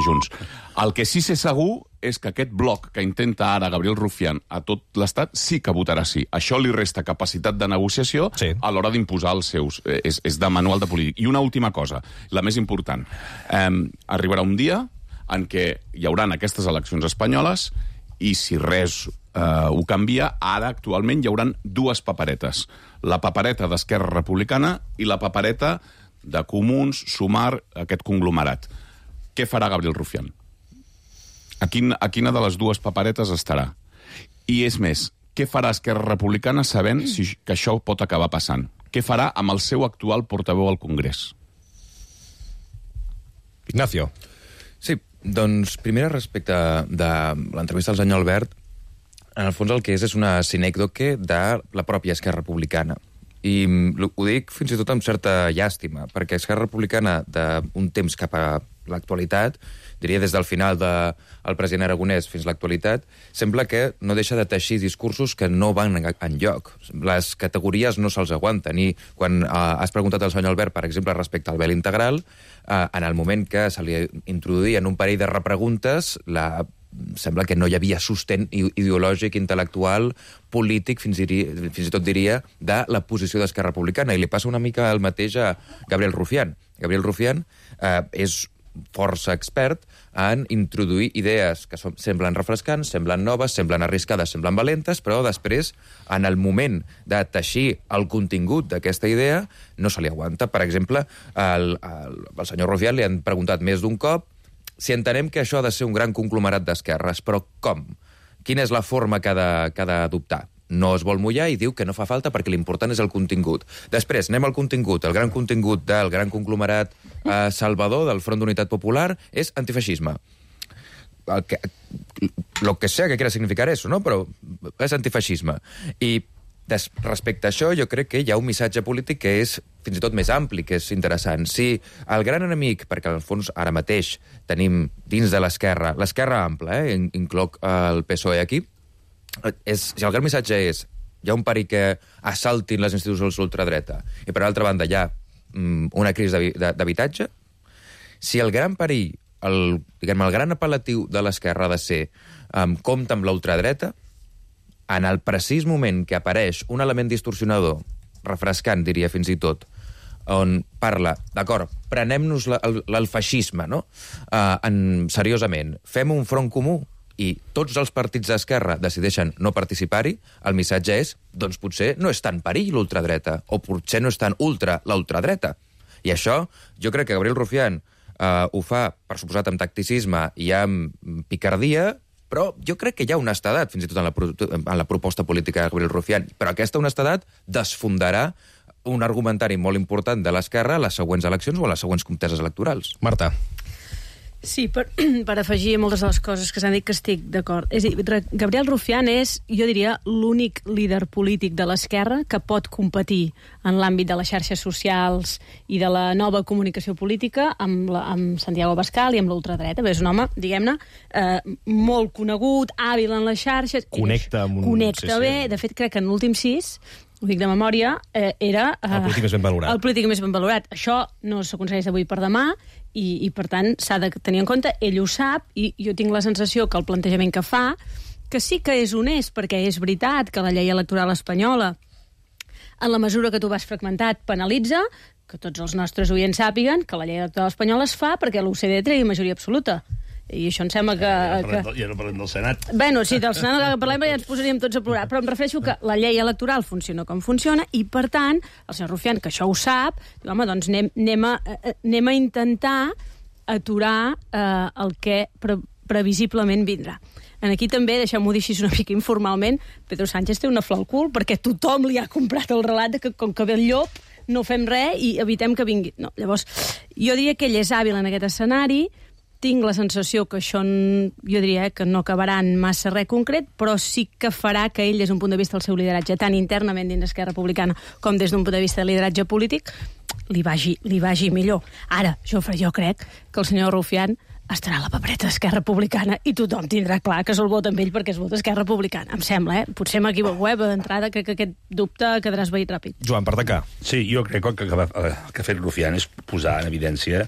Junts. El que sí sé segur és que aquest bloc que intenta ara Gabriel Rufián a tot l'Estat sí que votarà sí. Això li resta capacitat de negociació a l'hora d'imposar els seus. És de manual de polític. I una última cosa, la més important. Arribarà un dia en què hi haurà aquestes eleccions espanyoles i si res ho canvia, ara actualment hi haurà dues paperetes. La papereta d'Esquerra Republicana i la papereta de Comuns, Sumar, aquest conglomerat. Què farà Gabriel Rufián? A quina de les dues paperetes estarà? I és més, què farà Esquerra Republicana sabent que això pot acabar passant? Què farà amb el seu actual portaveu al Congrés? Ignacio. Sí, doncs, primera respecte de l'entrevista al senyor Albert, en el fons el que és una sinècdoque de la pròpia Esquerra Republicana. I ho dic fins i tot amb certa llàstima, perquè Esquerra Republicana d'un temps cap a l'actualitat, diria des del final del president Aragonès fins a l'actualitat, sembla que no deixa de teixir discursos que no van enlloc. Les categories no se'ls aguanten. I quan has preguntat al senyor Albert, per exemple, respecte al vel integral, en el moment que se li introduïen un parell de repreguntes, sembla que no hi havia sostén ideològic, intel·lectual, polític, fins i tot diria, de la posició d'Esquerra Republicana. I li passa una mica el mateix a Gabriel Rufián. Gabriel Rufián és força expert en introduir idees que semblen refrescants, semblen noves, semblen arriscades, semblen valentes, però després, en el moment de teixir el contingut d'aquesta idea, no se li aguanta. Per exemple, al senyor Rufián li han preguntat més d'un cop si entenem que això ha de ser un gran conglomerat d'esquerres, però com? Quina és la forma que ha d'adoptar? No es vol mullar i diu que no fa falta perquè l'important és el contingut. Després, anem al contingut. El gran contingut del gran conglomerat salvador del Front d'Unitat Popular és antifeixisme. Lo que sea que quiera significar eso, ¿no? Però és antifeixisme. I respecte a això, jo crec que hi ha un missatge polític que és fins i tot més ampli, que és interessant. Si el gran enemic, perquè al fons ara mateix tenim dins de l'esquerra ampla, incloc el PSOE aquí, si el gran missatge és hi ha un perill que assaltin les institucions d'ultradreta i per altra banda hi ha una crisi d'habitatge, si el gran perill, el gran apel·latiu de l'esquerra ha de ser compte amb la ultradreta, en el precís moment que apareix un element distorsionador, refrescant, diria fins i tot, on parla, d'acord, prenem-nos el feixisme, no? Seriosament, fem un front comú i tots els partits d'esquerra decideixen no participar-hi, el missatge és, doncs potser no és tan perill l'ultradreta, o potser no és tan ultra la ultradreta. I això, jo crec que Gabriel Rufián ho fa, per suposat, amb tacticisme i amb picardia, però jo crec que hi ha honestedat, fins i tot en la proposta política de Gabriel Rufián, però aquesta honestedat desfondarà un argumentari molt important de l'esquerra a les següents eleccions o a les següents conteses electorals. Marta. Sí, per afegir moltes de les coses que s'han dit que estic d'acord. És a dir, Gabriel Rufián és, jo diria, l'únic líder polític de l'esquerra que pot competir en l'àmbit de les xarxes socials i de la nova comunicació política amb Santiago Abascal i amb l'ultradreta. És un home, diguem-ne, molt conegut, hàbil en les xarxes. Connecta bé. De fet, crec que en l'últim 6, ho dic de memòria, era el polític més ben valorat. El polític més ben valorat. Això no s'aconsegueix d'avui per demà i per tant, s'ha de tenir en compte, ell ho sap, i jo tinc la sensació que el plantejament que fa, que sí que és honest, perquè és veritat que la llei electoral espanyola, en la mesura que tu vas fragmentat, penalitza, que tots els nostres oients sàpiguen que la llei electoral espanyola es fa perquè l'OCDE tregui majoria absoluta. I això em sembla que... Ja no parlem del Senat. Bueno, sí, del Senat que parlem ja ens posaríem tots a plorar, però em refereixo que la llei electoral funciona com funciona i, per tant, el senyor Rufián, que això ho sap, diu, home, doncs anem a intentar aturar el que previsiblement vindrà. Aquí també, deixem-ho dir així una mica informalment, Pedro Sánchez té una flor al cul perquè tothom li ha comprat el relat de que com que ve el llop no fem res i evitem que vingui. No, llavors, jo diria que ell és hàbil en aquest escenari, tinc la sensació que això, jo diria que no acabarà en massa res concret, però sí que farà que ell, des d'un punt de vista del seu lideratge, tant internament dins d'Esquerra Republicana com des d'un punt de vista de lideratge polític, li vagi millor. Ara, jo crec que el senyor Rufián estarà a la papereta d'Esquerra Republicana i tothom tindrà clar que se'l vota amb ell perquè es vota Esquerra Republicana. Em sembla, Potser m'equivoco, però d'entrada crec que aquest dubte quedarà esvaït ràpid. Joan, per tancar. Sí, jo crec que el que ha fet Rufián és posar en evidència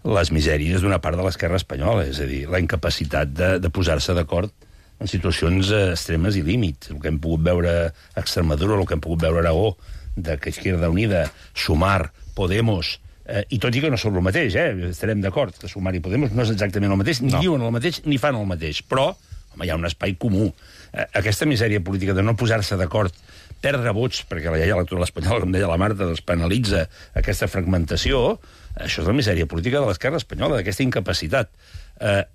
les misèries d'una part de l'esquerra espanyola, és a dir, la incapacitat de posar-se d'acord en situacions extremes i límits. El que hem pogut veure a Extremadura, el que hem pogut veure a Aragó, de que Izquierda Unida, Sumar, Podemos, i tot i que no són el mateix, estarem d'acord, que Sumar i Podemos no és exactament el mateix, ni diuen el mateix ni fan el mateix, però home, hi ha un espai comú. Aquesta misèria política de no posar-se d'acord, perdre vots, perquè la llei electoral espanyola, com deia la Marta, doncs penalitza aquesta fragmentació, això és la misèria política de l'esquerra espanyola, d'aquesta incapacitat.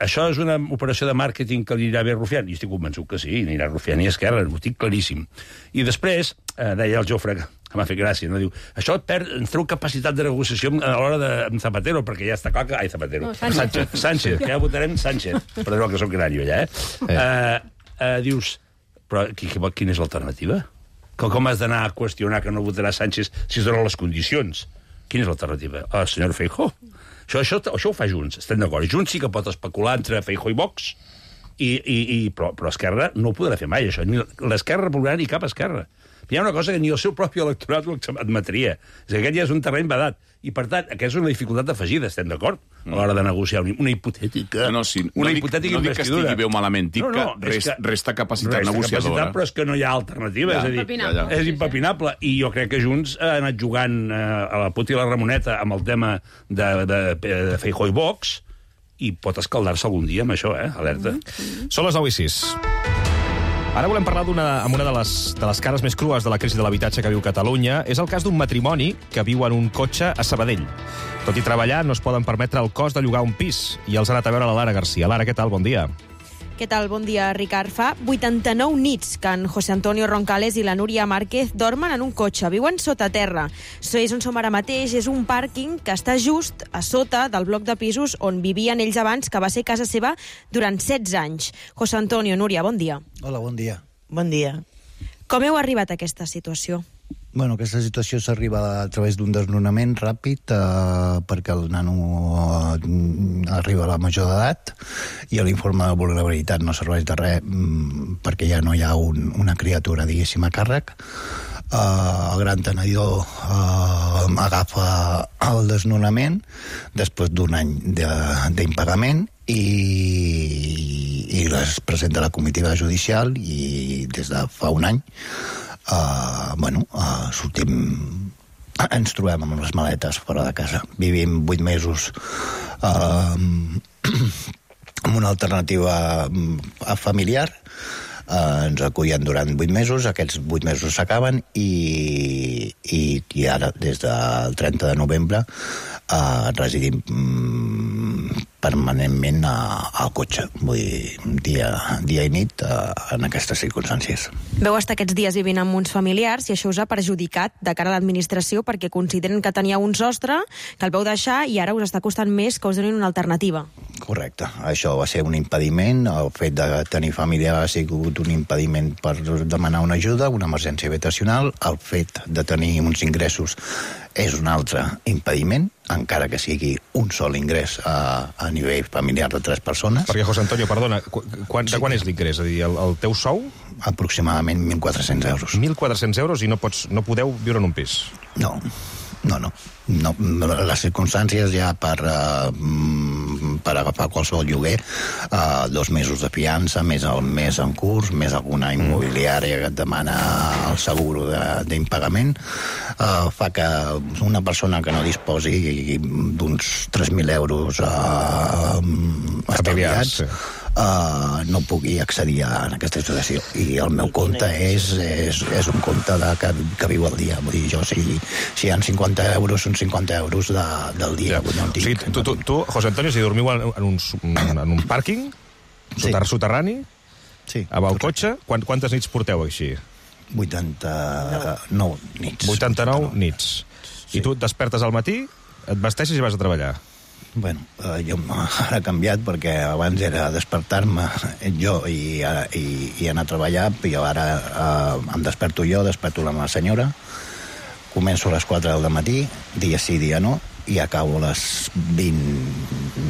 Això és una operació de màrqueting que li anirà bé a Rufián? Jo estic convençut que sí, anirà Rufián i Esquerra, ho estic claríssim. I després, deia el Jofre, que m'ha fet gràcia, no? Diu, això ens treu capacitat de negociació a l'hora de Zapatero, perquè ja està clar que... Ai, Zapatero. No, Sánchez, que ja votarem Sánchez. Perdó, que soc gran jo, allà, Dius, però quina és l'alternativa? Com has d'anar a qüestionar que no votarà Sánchez si es donen les condicions? Quina és l'alternativa? El senyor Feijóo. Això ho fa Junts, estem d'acord. Junts sí que pot especular entre Feijóo i Vox, però Esquerra no ho podrà fer mai, això. Ni l'Esquerra Republicana ni cap Esquerra. Hi ha una cosa que ni el seu propi electorat ho admetria. És que aquest ja és un terreny vedat. I, per tant, aquesta és una dificultat afegida, estem d'acord? A l'hora de negociar una hipotètica... No dic que estigui bé o malament, dic que resta capacitat negociadora. Però és que no hi ha alternativa, és a dir, és impepinable. I jo crec que Junts ha anat jugant a la puta i la Ramoneta amb el tema de Feijóo i Vox i pot escaldar-se algun dia amb això, alerta. Són les 9:06. Ara volem parlar amb una de les cares més crues de la crisi de l'habitatge que viu Catalunya. És el cas d'un matrimoni que viu en un cotxe a Sabadell. Tot i treballar, no es poden permetre el cost de llogar un pis. I els ha anat a veure la Lara García. Lara, què tal? Bon dia. Què tal? Bon dia, Ricard. Fa 89 nits que en José Antonio Roncales i la Núria Márquez dormen en un cotxe. Viuen sota terra. És on som ara mateix. És un pàrquing que està just a sota del bloc de pisos on vivien ells abans, que va ser casa seva durant 16 anys. José Antonio, Núria, bon dia. Hola, bon dia. Bon dia. Com heu arribat a aquesta situació? Bueno, aquesta situació s'arriba a través d'un desnonament ràpid perquè el nano arriba a la major d'edat i l'informe de vulnerabilitat no serveix de res perquè ja no hi ha una criatura, diguéssim, a càrrec. El gran tenedor agafa el desnonament després d'un any d'impagament i es presenta a la comitiva judicial i des de fa un any sortim, ens trobem amb les maletes fora de casa. Vivim 8 mesos amb una alternativa familiar. Ens acullen durant 8 mesos, aquests 8 mesos s'acaben i ara, des del 30 de novembre, residim permanentment al cotxe, vull dir, dia i nit en aquestes circumstàncies. Veu estar aquests dies vivint amb uns familiars i això us ha perjudicat de cara a l'administració perquè consideren que teníeu un sostre, que el veu deixar i ara us està costant més que us donin una alternativa. Correcte. Això va ser un impediment. El fet de tenir família ha sigut un impediment per demanar una ajuda, una emergència habitacional. El fet de tenir uns ingressos és un altre impediment, encara que sigui un sol ingrés a nivell familiar de 3 persones. Perquè, José Antonio, perdona, de quan és l'ingrés? És a dir, el teu sou? Aproximadament 1.400 euros. 1.400 euros i no podeu viure en un pis? No. Les circumstàncies ja per agafar qualsevol lloguer, 2 mesos de fiança, més el mes en curs, més alguna immobiliària que et demana el seguro d'impagament, fa que una persona que no disposi d'uns 3.000 euros estalviats no pugui accedir a aquesta situació. I el meu compte és un compte que viu al dia. Vull dir, jo, si hi ha 50 euros, són 50 euros del dia. O sigui, tu, José Antonio, si dormiu en un pàrquing soterrani, amb el cotxe, quantes nits porteu així? 89 nits. 89 nits. I tu et despertes al matí, et vesteixes i vas a treballar. Bueno, jo ara he canviat perquè abans era despertar-me jo i anar a treballar, però ara em desperto jo, desperto la meva senyora, començo a les 4 del matí, dia sí, dia no, i acabo a les 20,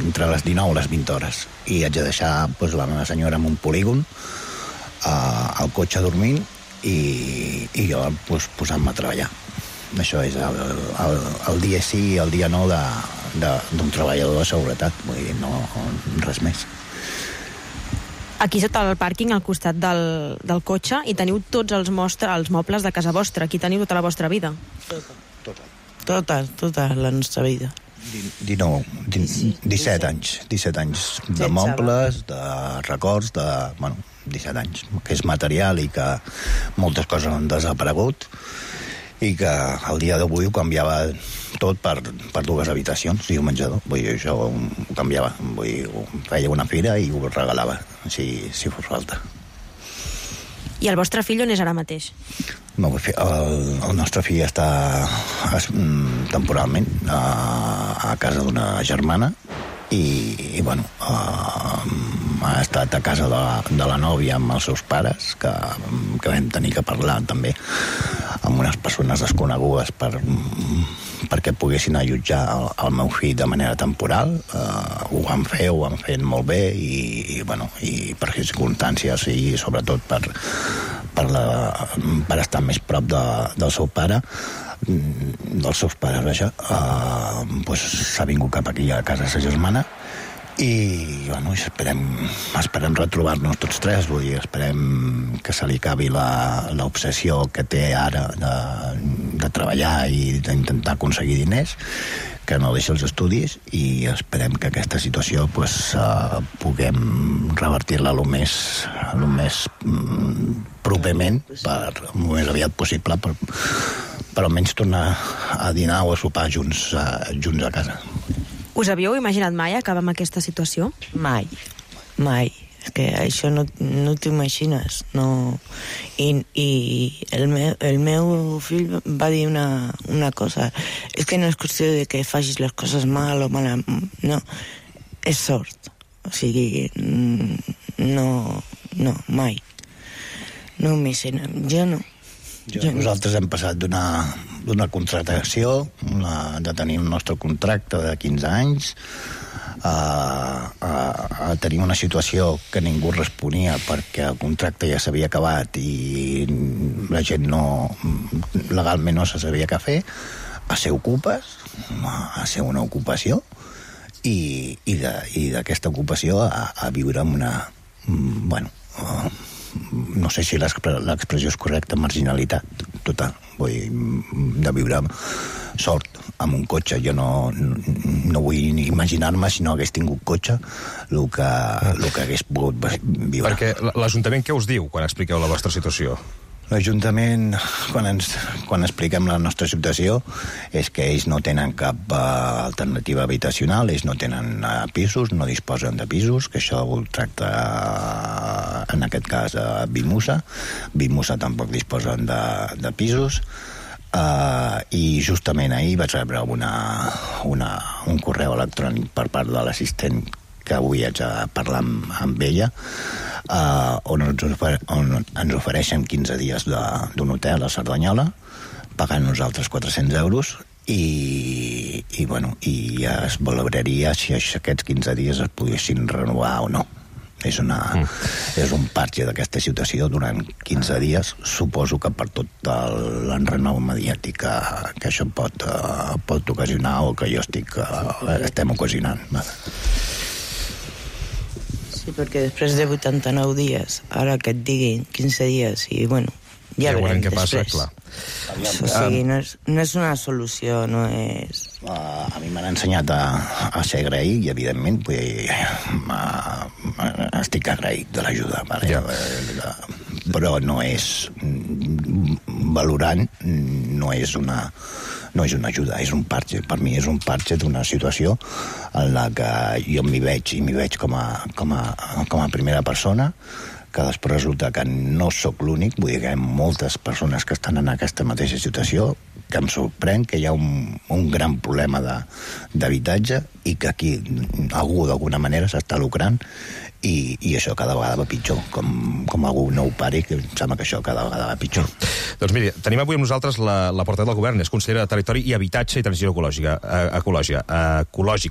entre les 19 i les 20 hores. I haig de deixar la meva senyora en un polígon, al cotxe dormint, i jo posant-me a treballar. Això és el dia sí i el dia no d'un treballador de seguretat, vull dir, no res més. Aquí sota el pàrquing, al costat del cotxe, hi teniu tots els mobles de casa vostra. Aquí teniu tota la vostra vida. Tota la nostra vida. 17 anys de mobles, de records, 17 anys, que és material i que moltes coses han desaparegut i que el dia d'avui ho canviava tot per 2 habitacions i un menjador. Vull dir, això ho canviava. Vull dir, feia una fira i ho regalava, si fos falta. I el vostre fill on és ara mateix? El nostre fill està temporalment a casa d'una germana i bueno, ha estat a casa de la nòvia amb els seus pares, que vam tenir que parlar també amb unes persones desconegudes perquè poguessin allotjar el meu fill de manera temporal. Ho van fet molt bé i per circumstàncies i sobretot per estar més prop del seu pare, dels seus pares, vaja, s'ha vingut cap aquí a casa sa germana i esperem retrobar-nos tots tres. Vull dir, esperem que se li acabi l'obsessió que té ara de treballar i d'intentar aconseguir diners, que no deixa els estudis, i esperem que aquesta situació puguem revertir-la el més properament, el més aviat possible, per almenys tornar a dinar o a sopar junts a casa. Us havíeu imaginat mai acabar amb aquesta situació? Mai. És que això no t'ho imagines. No. I el meu fill va dir una cosa. És que no és qüestió de que facis les coses mal o mal. No, és sort. O sigui, no, mai. No m'imagino. Jo no. Nosaltres hem passat d'una contractació, de tenir el nostre contracte de 15 anys, a tenir una situació que ningú responia perquè el contracte ja s'havia acabat i la gent legalment no se sabia què fer, a ser ocupes, a ser una ocupació, i d'aquesta ocupació a viure amb una... no sé si l'expressió és correcta, marginalitat total. Vull de viure sort amb un cotxe. Jo no vull ni imaginar-me, si no hagués tingut cotxe, el que hagués pogut viure. Perquè l'Ajuntament què us diu quan expliqueu la vostra situació? L'Ajuntament, quan expliquem la nostra situació, és que ells no tenen cap alternativa habitacional, ells no tenen pisos, no disposen de pisos, que això ho tracta, en aquest cas, Bimusa. Bimusa tampoc disposen de pisos. I justament ahir vaig rebre un correu electrònic per part de l'assistent que avui haig de parlar amb ella, on ens ofereixen 15 dies d'un hotel a Cerdanyola, pagant nosaltres 400 euros, i es valoraria si aquests 15 dies es poguessin renovar o no. És un parche d'aquesta situació durant 15 dies. Suposo que per tot l'enrenou mediàtic que això pot ocasionar o que estem ocasionant. Sí, perquè després de 89 dies, ara que et diguin 15 dies, i ja veurem què passa, clar. O sigui, no és una solució, no és... A mi m'han ensenyat a ser agraït i, evidentment, estic agraït de l'ajuda, però no és valorant, no és una ajuda, és un parche. Per mi és un parche d'una situació en la que jo m'hi veig com a primera persona, que després resulta que no sóc l'únic, vull dir que hi ha moltes persones que estan en aquesta mateixa situació, que em sorprèn que hi ha un gran problema d'habitatge i que aquí algú d'alguna manera s'està lucrant i això cada vegada va pitjor. Com algú no ho pari, que em sembla que això cada vegada va pitjor. Doncs miri, tenim avui amb nosaltres la portaveu del govern, és consellera de Territori i Habitatge i Transició Ecològica,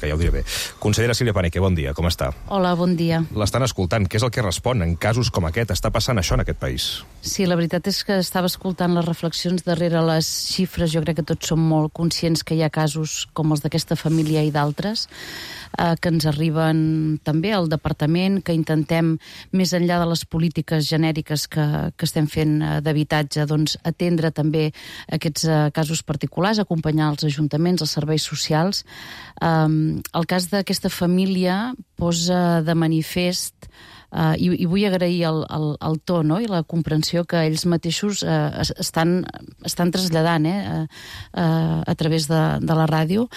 ja ho diré bé. Consellera Sílvia Paneque, bon dia, com està? Hola, bon dia. L'estan escoltant, què és el que respon en casos com aquest. Està passant això en aquest país. Sí, la veritat és que estava escoltant les reflexions darrere les xifres. Jo crec que tots som molt conscients que hi ha casos com els d'aquesta família i d'altres que ens arriben també al departament, que intentem, més enllà de les polítiques genèriques que estem fent d'habitatge, doncs atendre també aquests casos particulars, acompanyar els ajuntaments, els serveis socials. El cas d'aquesta família posa de manifest i vull agrair el to, no?, i la comprensió que ells mateixos estan traslladant a través de la ràdio.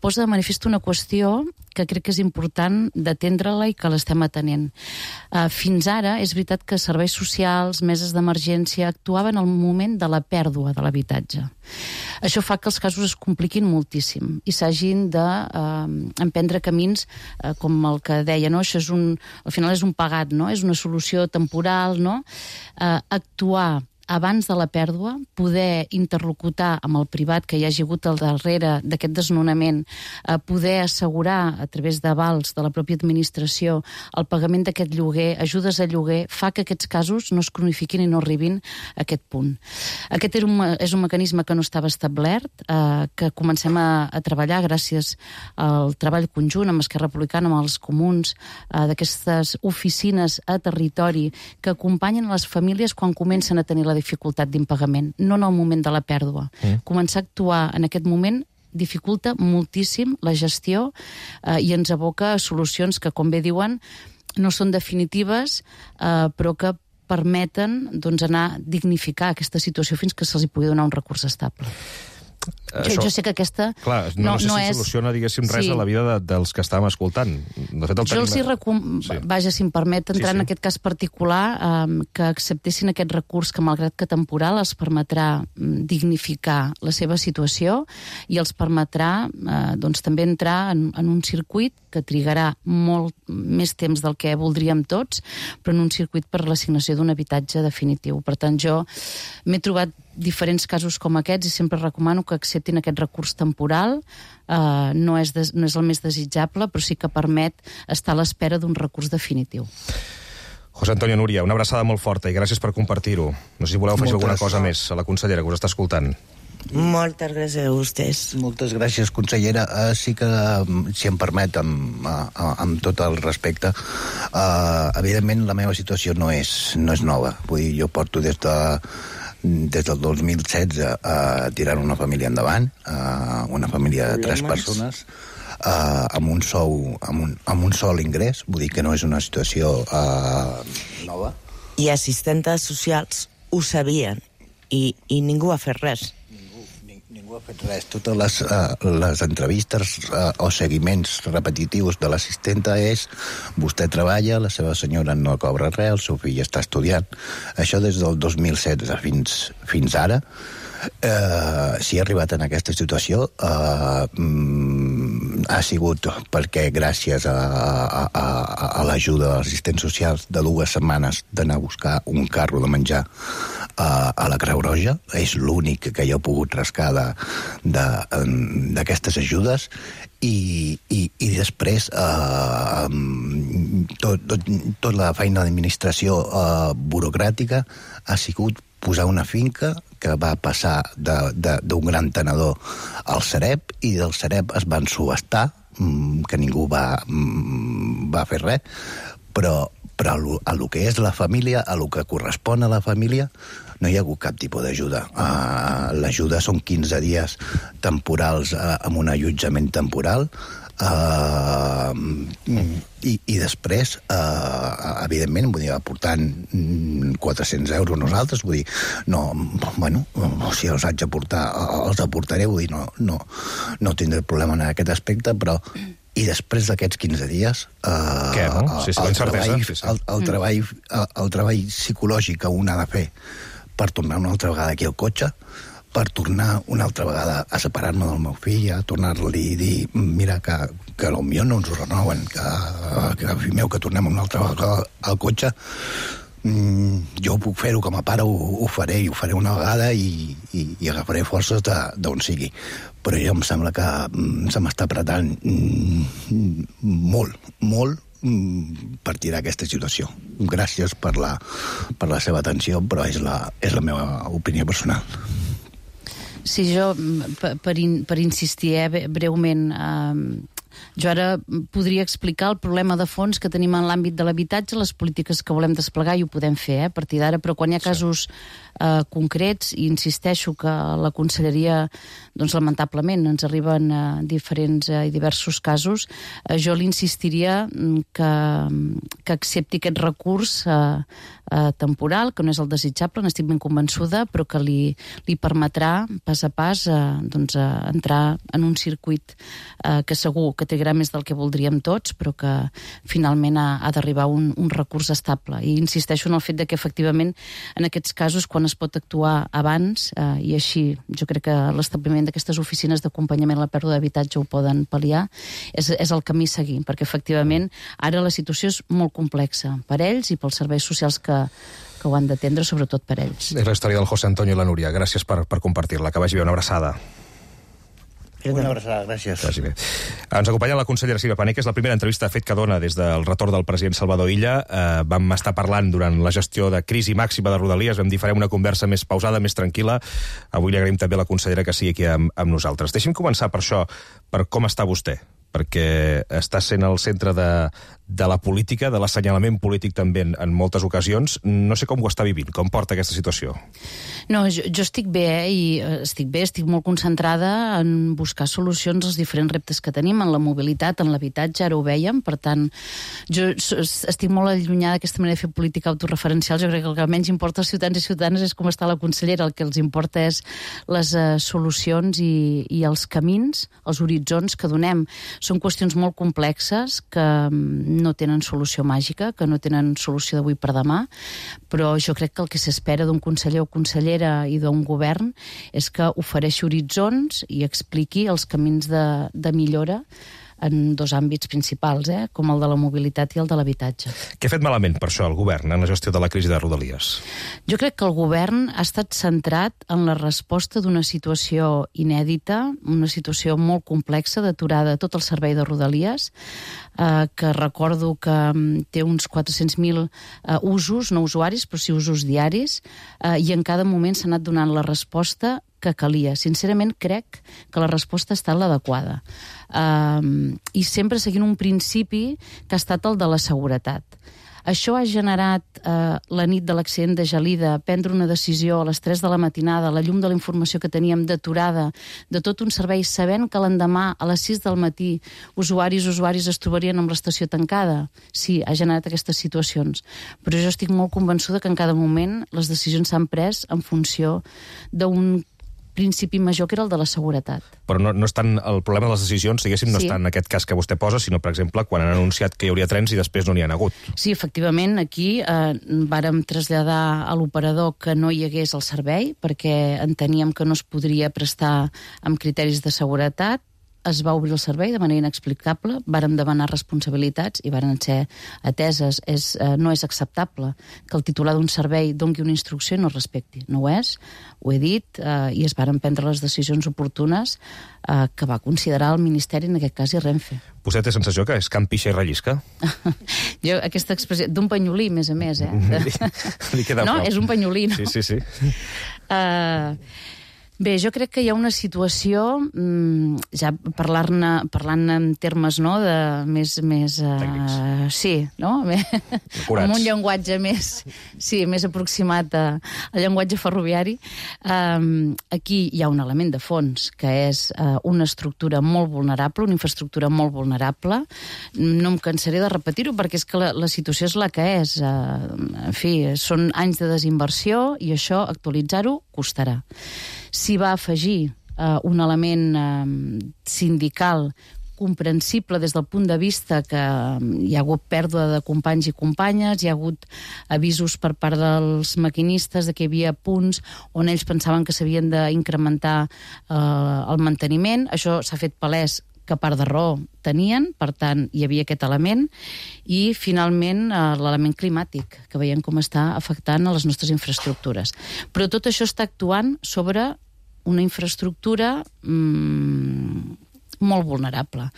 Posa de manifest una qüestió que crec que és important d'atendre-la i que l'estem atenent. Fins ara, és veritat que serveis socials, meses d'emergència, actuaven al moment de la pèrdua de l'habitatge. Això fa que els casos es compliquin moltíssim i s'hagin d'emprendre camins com el que deia, no? Això al final és un pagat, no? És una solució temporal, no? Actuar abans de la pèrdua, poder interlocutar amb el privat que hi hagi hagut al darrere d'aquest desnonament, poder assegurar a través d'avals de la pròpia administració el pagament d'aquest lloguer, ajudes a lloguer, fa que aquests casos no es cronifiquin i no arribin a aquest punt. Aquest és un mecanisme que no estava establert, que comencem a treballar gràcies al treball conjunt amb Esquerra Republicana, amb els comuns, d'aquestes oficines a territori que acompanyen les famílies quan comencen a tenir la dificultat d'impagament, no en el moment de la pèrdua. Començar a actuar en aquest moment dificulta moltíssim la gestió i ens aboca a solucions que, com bé diuen, no són definitives, però que permeten anar a dignificar aquesta situació fins que se'ls hi pugui donar un recurs estable. Jo sé que aquesta clar, no sé si soluciona, diguéssim, res a la vida dels que estàvem escoltant. De fet, jo els hi vaja, si em permet entrar en aquest cas particular, que acceptessin aquest recurs que, malgrat que temporal, els permetrà dignificar la seva situació i els permetrà també entrar en un circuit que trigarà molt més temps del que voldríem tots, però en un circuit per l'assignació d'un habitatge definitiu. Per tant, jo m'he trobat diferents casos com aquests i sempre recomano que acceptin aquest recurs temporal. No és el més desitjable, però sí que permet estar a l'espera d'un recurs definitiu. José Antonio, Núria, una abraçada molt forta i gràcies per compartir-ho. No sé si voleu afegir alguna cosa més a la consellera que us està escoltant. Moltes gràcies a vostès. Moltes gràcies, consellera. Sí que, si em permet, amb tot el respecte, evidentment la meva situació no és nova. Vull dir, jo porto des del 2016 tirant una família endavant, una família de 3 persones, amb un sol ingrés, vull dir que no és una situació nova. I assistentes socials ho sabien i ningú ha fet res. Ningú ha fet res. Totes les entrevistes o seguiments repetitius de l'assistenta és vostè treballa, la seva senyora no cobra res, el seu fill està estudiant. Això des del 2016 fins ara. Si he arribat en aquesta situació ha sigut perquè gràcies a l'ajuda de l'assistent social de 2 setmanes d'anar a buscar un carro de menjar a la Creu Roja. És l'únic que jo he pogut rascar d'aquestes ajudes i després tota la feina d'administració burocràtica ha sigut posar una finca que va passar d'un gran tenedor al Sareb i del Sareb es van subhastar, que ningú va fer res, però a lo que és la família, a lo que correspon a la família, no hi ha hagut cap tipus d'ajuda. L'ajuda són 15 dies temporals amb un allotjament temporal, i després evidentment vull dir, aportant 400 euros nosaltres, vull dir, no, bueno, si els haig d'aportar els aportaré, vull dir, no tindré problema en aquest aspecte, però i després d'aquests 15 dies el treball psicològic que un ha de fer per tornar una altra vegada aquí al cotxe, per tornar una altra vegada a separar-me del meu fill, a tornar-li i dir, mira, que potser no ens ho renoven, que fill meu, que tornem una altra vegada al cotxe, jo ho puc fer-ho com a pare, ho faré, i ho faré una vegada i agafaré forces d'on sigui. Però jo em sembla que se m'està apretant molt partir d'aquesta situació. Gràcies per la seva atenció, però és la meva opinió personal. Sí, jo, per insistir breument, jo ara podria explicar el problema de fons que tenim en l'àmbit de l'habitatge, les polítiques que volem desplegar, i ho podem fer a partir d'ara, però quan hi ha casos concrets, i insisteixo que la conselleria, doncs lamentablement, ens arriben diferents i diversos casos, jo li insistiria que accepti aquest recurs temporal, que no és el desitjable, n'estic ben convençuda, però que li permetrà pas a pas entrar en un circuit que segur que trigarà més del que voldríem tots, però que finalment ha d'arribar un recurs estable. I insisteixo en el fet que efectivament en aquests casos, quan es pot actuar abans, i així jo crec que l'establiment d'aquestes oficines d'acompanyament a la pèrdua d'habitatge ho poden pal·liar, és el camí a seguir, perquè efectivament ara la situació és molt complexa per ells i pels serveis socials que ho han d'atendre, sobretot per ells. És la història del José Antonio i la Núria. Gràcies per compartir-la. Que vagi bé, una abraçada. Una abraçada, gràcies. Vagi bé. Ens acompanya la consellera Sílvia Pané, que és la primera entrevista fet que dona des del retorn del president Salvador Illa. Vam estar parlant durant la gestió de crisi màxima de Rodalies, vam dir farem una conversa més pausada, més tranquil·la. Avui li agraïm també a la consellera que sigui aquí amb nosaltres. Deixi'm començar per això, per com està vostè, perquè està sent el centre de la política, de l'assenyalament polític també en moltes ocasions. No sé com ho està vivint, com porta aquesta situació. No, jo estic bé, estic molt concentrada en buscar solucions als diferents reptes que tenim, en la mobilitat, en l'habitatge, ara ho vèiem, per tant, jo estic molt allunyada d'aquesta manera de fer política autorreferencial. Jo crec que el que menys importa als ciutadans i ciutadanes és com està la consellera, el que els importa és les solucions i els camins, els horitzons que donem. Són qüestions molt complexes que no tenen solució màgica, que no tenen solució d'avui per demà, però jo crec que el que s'espera d'un conseller o consellera i d'un govern és que ofereixi horitzons i expliqui els camins de millora en dos àmbits principals, com el de la mobilitat i el de l'habitatge. Què ha fet malament, per això, el govern en la gestió de la crisi de Rodalies? Jo crec que el govern ha estat centrat en la resposta d'una situació inèdita, una situació molt complexa d'aturada de tot el servei de Rodalies, que recordo que té uns 400.000 usos, no usuaris, però sí usos diaris, i en cada moment s'ha anat donant la resposta que calia. Sincerament, crec que la resposta ha estat l'adequada. I sempre seguint un principi que ha estat el de la seguretat. Això ha generat, la nit de l'accident de Gelida, prendre una decisió a les 3 de la matinada, a la llum de la informació que teníem d'aturada, de tot un servei, sabent que l'endemà, a les 6 del matí, usuaris es trobarien amb l'estació tancada. Sí, ha generat aquestes situacions. Però jo estic molt convençuda que en cada moment les decisions s'han pres en funció d'un principi major, que era el de la seguretat. Però no és tant el problema de les decisions, diguéssim, no està en aquest cas que vostè posa, sinó, per exemple, quan han anunciat que hi hauria trens i després no n'hi ha hagut. Sí, efectivament, aquí vàrem traslladar a l'operador que no hi hagués el servei, perquè enteníem que no es podria prestar amb criteris de seguretat. Es va obrir el servei de manera inexplicable, vàrem demanar responsabilitats i varen ser ateses. No és acceptable que el titular d'un servei doni una instrucció i no respecti. No ho és, ho he dit, i es varen prendre les decisions oportunes que va considerar el Ministeri, en aquest cas, i Renfe. Vostè té sensació que és camp pixa i rellisca? Jo, aquesta expressió, d'un penyolí, més a més, Li queda no, prou. és un penyolí, no? Sí. Bé, jo crec que hi ha una situació, ja parlant en termes de més sí, no? Amb un llenguatge més aproximat al llenguatge ferroviari. Aquí hi ha un element de fons, que és una estructura molt vulnerable, una infraestructura molt vulnerable. No em cansaré de repetir-ho, perquè és que la situació és la que és. En fi, són anys de desinversió i això, actualitzar-ho, costarà. S'hi va afegir un element sindical comprensible des del punt de vista que hi ha hagut pèrdua de companys i companyes, hi ha hagut avisos per part dels maquinistes de que hi havia punts on ells pensaven que s'havien d'incrementar el manteniment. Això s'ha fet palès que part de raó tenien, per tant, hi havia aquest element, i finalment l'element climàtic, que veiem com està afectant a les nostres infraestructures. Però tot això està actuant sobre una infraestructura molt vulnerable.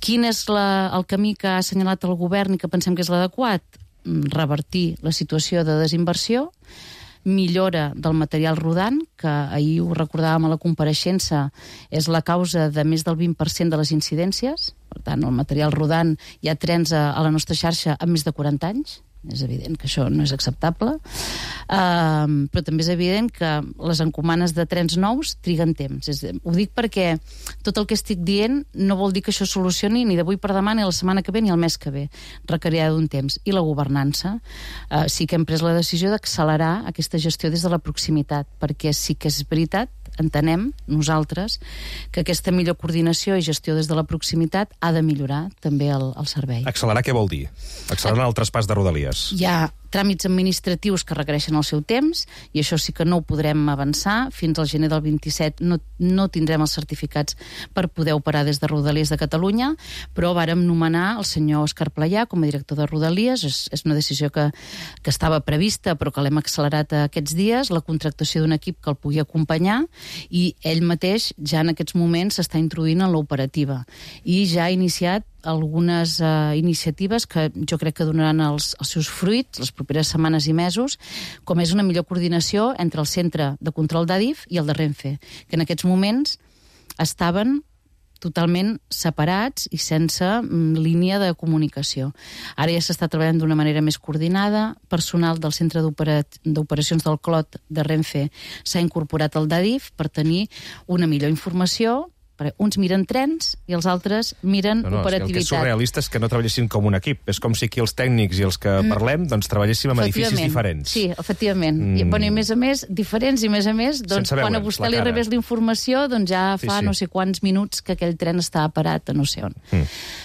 Quin és el camí que ha assenyalat el govern i que pensem que és l'adequat? Revertir la situació de desinversió, millora del material rodant, que ahir ho recordàvem a la compareixença, és la causa de més del 20% de les incidències. Per tant, el material rodant, hi ha trens a la nostra xarxa amb més de 40 anys. És evident que això no és acceptable. Però també és evident que les encomanes de trens nous triguen temps. Ho dic perquè tot el que estic dient no vol dir que això solucioni ni d'avui per demà, ni la setmana que ve, ni el mes que ve. Requerirà d'un temps. I la governança. Sí que hem pres la decisió d'accelerar aquesta gestió des de la proximitat, perquè sí que és veritat, entenem, nosaltres, que aquesta millor coordinació i gestió des de la proximitat ha de millorar també el servei. Accelerar què vol dir? Accelerar el traspàs de Rodalies. Hi ha tràmits administratius que requereixen el seu temps, i això sí que no ho podrem avançar. Fins al gener del 27 no tindrem els certificats per poder operar des de Rodalies de Catalunya, però vàrem nomenar el senyor Òscar Playà com a director de Rodalies. És una decisió que estava prevista, però que l'hem accelerat aquests dies, la contractació d'un equip que el pugui acompanyar, i ell mateix ja en aquests moments s'està introduint en l'operativa. I ja ha iniciat algunes iniciatives que jo crec que donaran els seus fruits les properes setmanes i mesos, com és una millor coordinació entre el centre de control d'Adif i el de Renfe, que en aquests moments estaven totalment separats i sense línia de comunicació. Ara ja s'està treballant d'una manera més coordinada. Personal del centre d'operacions del Clot de Renfe s'ha incorporat al d'Adif per tenir una millor informació. Uns miren trens i els altres miren operativitat. El que és surrealista és que no treballessin com un equip. És com si aquí els tècnics i els que parlem doncs treballéssim en edificis diferents. Sí, efectivament. I a més, diferents, i a més, doncs, quan a vostè li rebés la informació, doncs ja fa no sé quants minuts que aquell tren està parat a no sé on.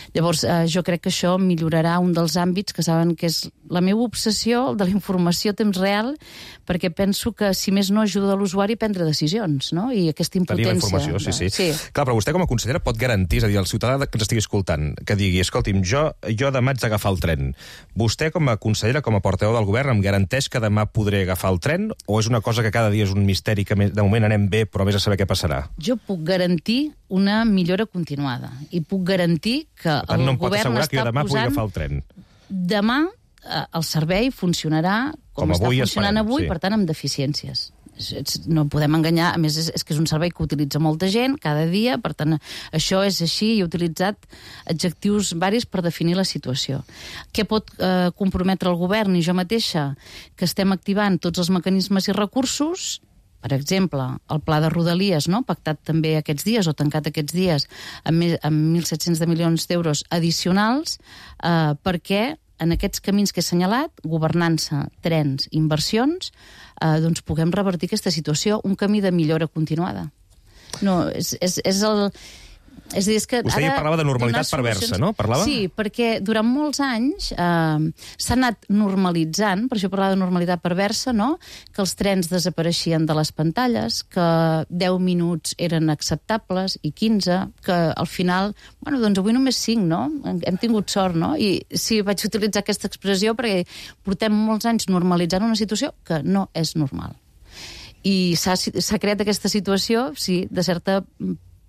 Llavors, jo crec que això millorarà un dels àmbits que saben que és la meva obsessió, el de la informació a temps real, perquè penso que, si més no, ajuda l'usuari a prendre decisions, no? I aquesta impotència... Tenir la informació, sí. Clar, però vostè com a consellera pot garantir, és a dir, el ciutadà que ens estigui escoltant, que digui, escolti'm, jo demà haig d'agafar el tren. Vostè com a consellera, com a portaveu del govern, em garanteix que demà podré agafar el tren, o és una cosa que cada dia és un misteri que de moment anem bé, però més a saber què passarà? Jo puc garantir una millora continuada, i puc garantir que el no govern està està demà posant... agafar el tren. Demà el servei funcionarà com està funcionant avui, per tant, amb deficiències. No podem enganyar, a més és que és un servei que utilitza molta gent cada dia, per tant això és així, i he utilitzat adjectius varis per definir la situació. Què pot comprometre el govern i jo mateixa? Que estem activant tots els mecanismes i recursos, per exemple, el pla de Rodalies, pactat també aquests dies o tancat aquests dies amb 1.700 milions d'euros addicionals, perquè en aquests camins que he assenyalat, governança, trens, inversions, doncs puguem revertir aquesta situació, un camí de millora continuada. No, és el... És a dir, és que vostè ja parlava de normalitat perversa, no? Parlava? Sí, perquè durant molts anys s'ha anat normalitzant, per això parlava de normalitat perversa, no? Que els trens desapareixien de les pantalles, que 10 minuts eren acceptables i 15, que al final, doncs avui només 5, no? Hem tingut sort, no? I sí, vaig utilitzar aquesta expressió perquè portem molts anys normalitzant una situació que no és normal. I s'ha creat aquesta situació, sí, de certa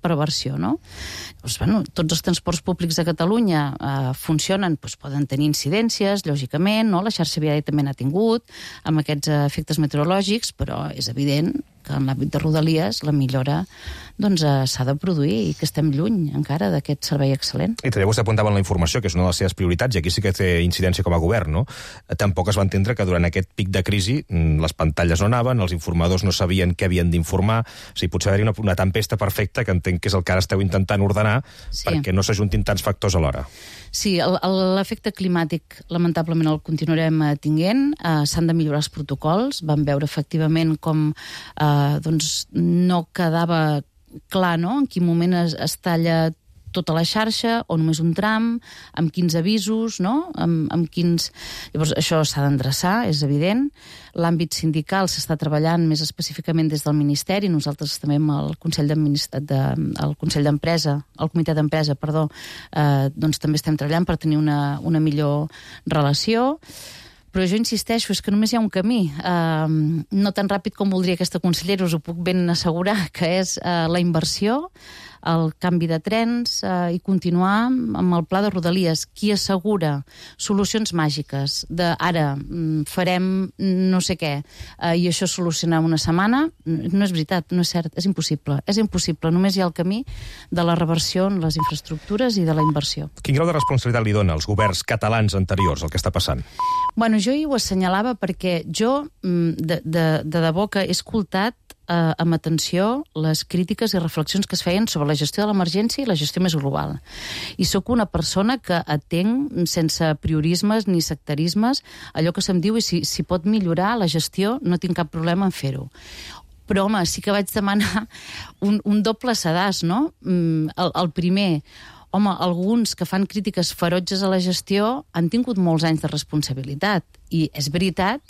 perversió, no? Doncs, tots els transports públics de Catalunya funcionen, poden tenir incidències, lògicament, no? La xarxa viària també n'ha tingut, amb aquests efectes meteorològics, però és evident que en l'àmbit de Rodalies la millora s'ha de produir i que estem lluny encara d'aquest servei excel·lent. I també vostè apuntava en la informació, que és una de les seves prioritats, i aquí sí que té incidència com a govern, no? Tampoc es va entendre que durant aquest pic de crisi les pantalles no anaven, els informadors no sabien què havien d'informar, o sigui, potser haver-hi una tempesta perfecta, que entenc que és el que ara esteu intentant ordenar, perquè no s'ajuntin tants factors alhora. Sí, l'efecte climàtic lamentablement el continuarem tinguent, s'han de millorar els protocols, vam veure efectivament com no quedava clar, no?, en quin moment es talla tota la xarxa o només un tram, amb quins avisos, no?, amb quins... Llavors, això s'ha d'endreçar, és evident. L'àmbit sindical s'està treballant més específicament des del Ministeri, nosaltres també amb el Consell d'Empresa, el Comitè d'Empresa, doncs també estem treballant per tenir una millor relació. Però jo insisteixo, és que només hi ha un camí, no tan ràpid com voldria aquesta consellera, us ho puc ben assegurar, que és la inversió, el canvi de trens i continuar amb el pla de Rodalies. Qui assegura solucions màgiques de ara farem no sé què i això solucionar una setmana, no és veritat, no és cert, és impossible. És impossible, només hi ha el camí de la reversió en les infraestructures i de la inversió. Quin grau de responsabilitat li dona als governs catalans anteriors el que està passant? Bueno, jo hi ho assenyalava perquè jo, de debò que he escoltat amb atenció les crítiques i reflexions que es feien sobre la gestió de l'emergència i la gestió més global. I sóc una persona que atenc sense priorismes ni sectarismes allò que se'm diu i si pot millorar la gestió no tinc cap problema en fer-ho. Però, home, sí que vaig demanar un doble sedàs, no? El primer, home, alguns que fan crítiques ferotges a la gestió han tingut molts anys de responsabilitat. I és veritat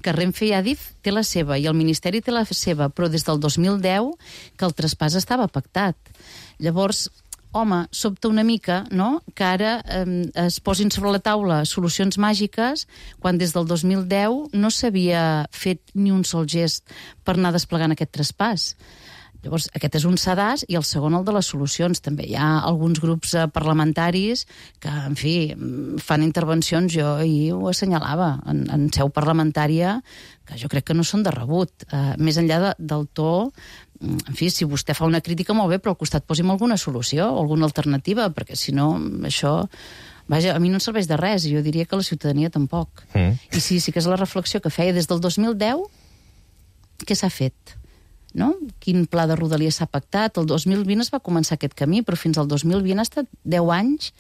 que Renfe i Adif té la seva i el Ministeri té la seva, però des del 2010 que el traspàs estava pactat. Llavors, home, sobta una mica, no?, que ara es posin sobre la taula solucions màgiques quan des del 2010 no s'havia fet ni un sol gest per anar desplegant aquest traspàs. Llavors, aquest és un sedàs i el segon el de les solucions. També hi ha alguns grups parlamentaris que, en fi, fan intervencions, jo ahir ho assenyalava, en seu parlamentària, que jo crec que no són de rebut. Més enllà del to, en fi, si vostè fa una crítica molt bé, però al costat posi'm alguna solució o alguna alternativa, perquè si no, això... Vaja, a mi no em serveix de res, i jo diria que la ciutadania tampoc. I sí que és la reflexió que feia des del 2010, què s'ha fet? No? Quin pla de Rodalies s'ha pactat? El 2020 es va començar aquest camí, però fins al 2020 ha estat 10 anys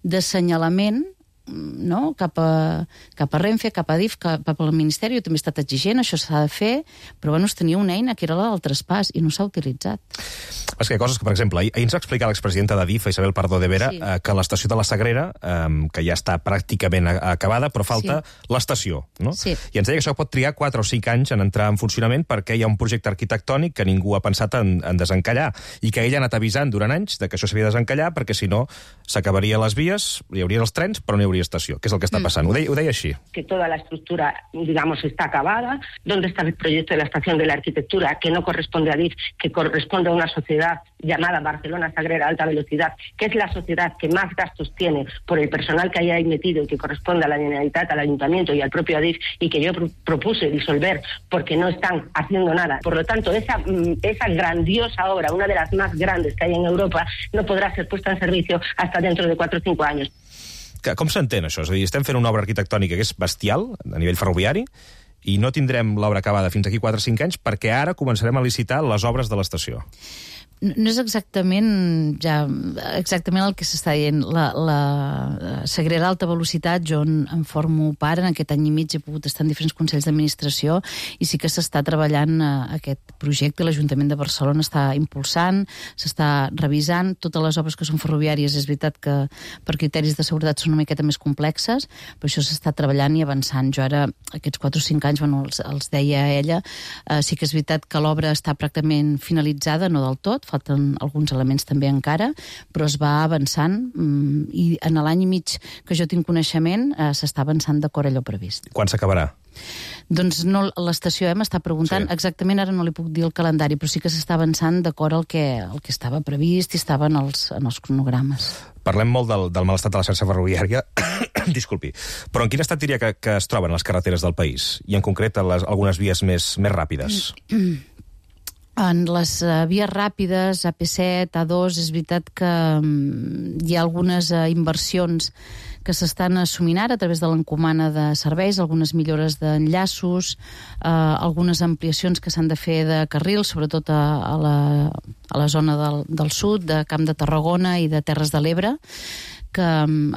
d'assenyalament, no? cap a Renfe, cap a Adif, cap al Ministeri. Jo també he estat exigent, això s'ha de fer, però bueno, es tenia una eina que era la del traspàs i no s'ha utilitzat. És que hi ha coses que, per exemple, ahir ens va explicar l'expresidenta d'Adif, Isabel Pardo de Vera, que l'estació de la Sagrera, que ja està pràcticament acabada, però falta l'estació, no? Sí. I ens deia que això pot trigar 4 o 5 anys en entrar en funcionament perquè hi ha un projecte arquitectònic que ningú ha pensat en desencallar i que ella ha anat avisant durant anys de que això s'havia de desencallar perquè si no s'acabaria les vies, hi hauria els trens, però no hi hauria estació, que és el que està passant. Ho deia així. Que toda la estructura, digamos, está acabada. ¿Dónde está el proyecto de la estación de la arquitectura que no corresponde a Adif, que corresponde a una sociedad llamada Barcelona Sagrera Alta Velocidad, que es la sociedad que más gastos tiene por el personal que hay ahí metido y que corresponde a la Generalitat, al Ayuntamiento y al propio Adif, y que yo propuse disolver porque no están haciendo nada? Por lo tanto, esa grandiosa obra, una de las más grandes que hay en Europa, no podrá ser puesta en servicio hasta dentro de 4 o 5 años. Com s'entén això? És a dir, estem fent una obra arquitectònica que és bestial a nivell ferroviari i no tindrem l'obra acabada fins aquí 4 o 5 anys perquè ara començarem a licitar les obres de l'estació. No és exactament el que s'està dient. La Sagrera Alta Velocitat, jo en formo part, en aquest any i mig he pogut estar en diferents consells d'administració i sí que s'està treballant aquest projecte, l'Ajuntament de Barcelona està impulsant, s'està revisant totes les obres que són ferroviàries. És veritat que per criteris de seguretat són una miqueta més complexes, però això s'està treballant i avançant. Jo ara, aquests 4 o 5 anys, bueno, els deia ella, sí que és veritat que l'obra està pràcticament finalitzada, no del tot, falten alguns elements també encara, però es va avançant i en l'any i mig que jo tinc coneixement s'està avançant d'acord a allò previst. Quan s'acabarà? Doncs no, l'estació m'està preguntant, exactament ara no li puc dir el calendari, però sí que s'està avançant d'acord al que estava previst i estava en els cronogrames. Parlem molt del mal estat de la xarxa ferroviària, disculpi, però en quin estat diria que es troben les carreteres del país? I en concret algunes vies més ràpides? En les vies ràpides, AP7, A2, és veritat que hi ha algunes inversions que s'estan assumint ara a través de l'encomana de serveis, algunes millores d'enllaços, algunes ampliacions que s'han de fer de carrils, sobretot a la zona del sud, de Camp de Tarragona i de Terres de l'Ebre, que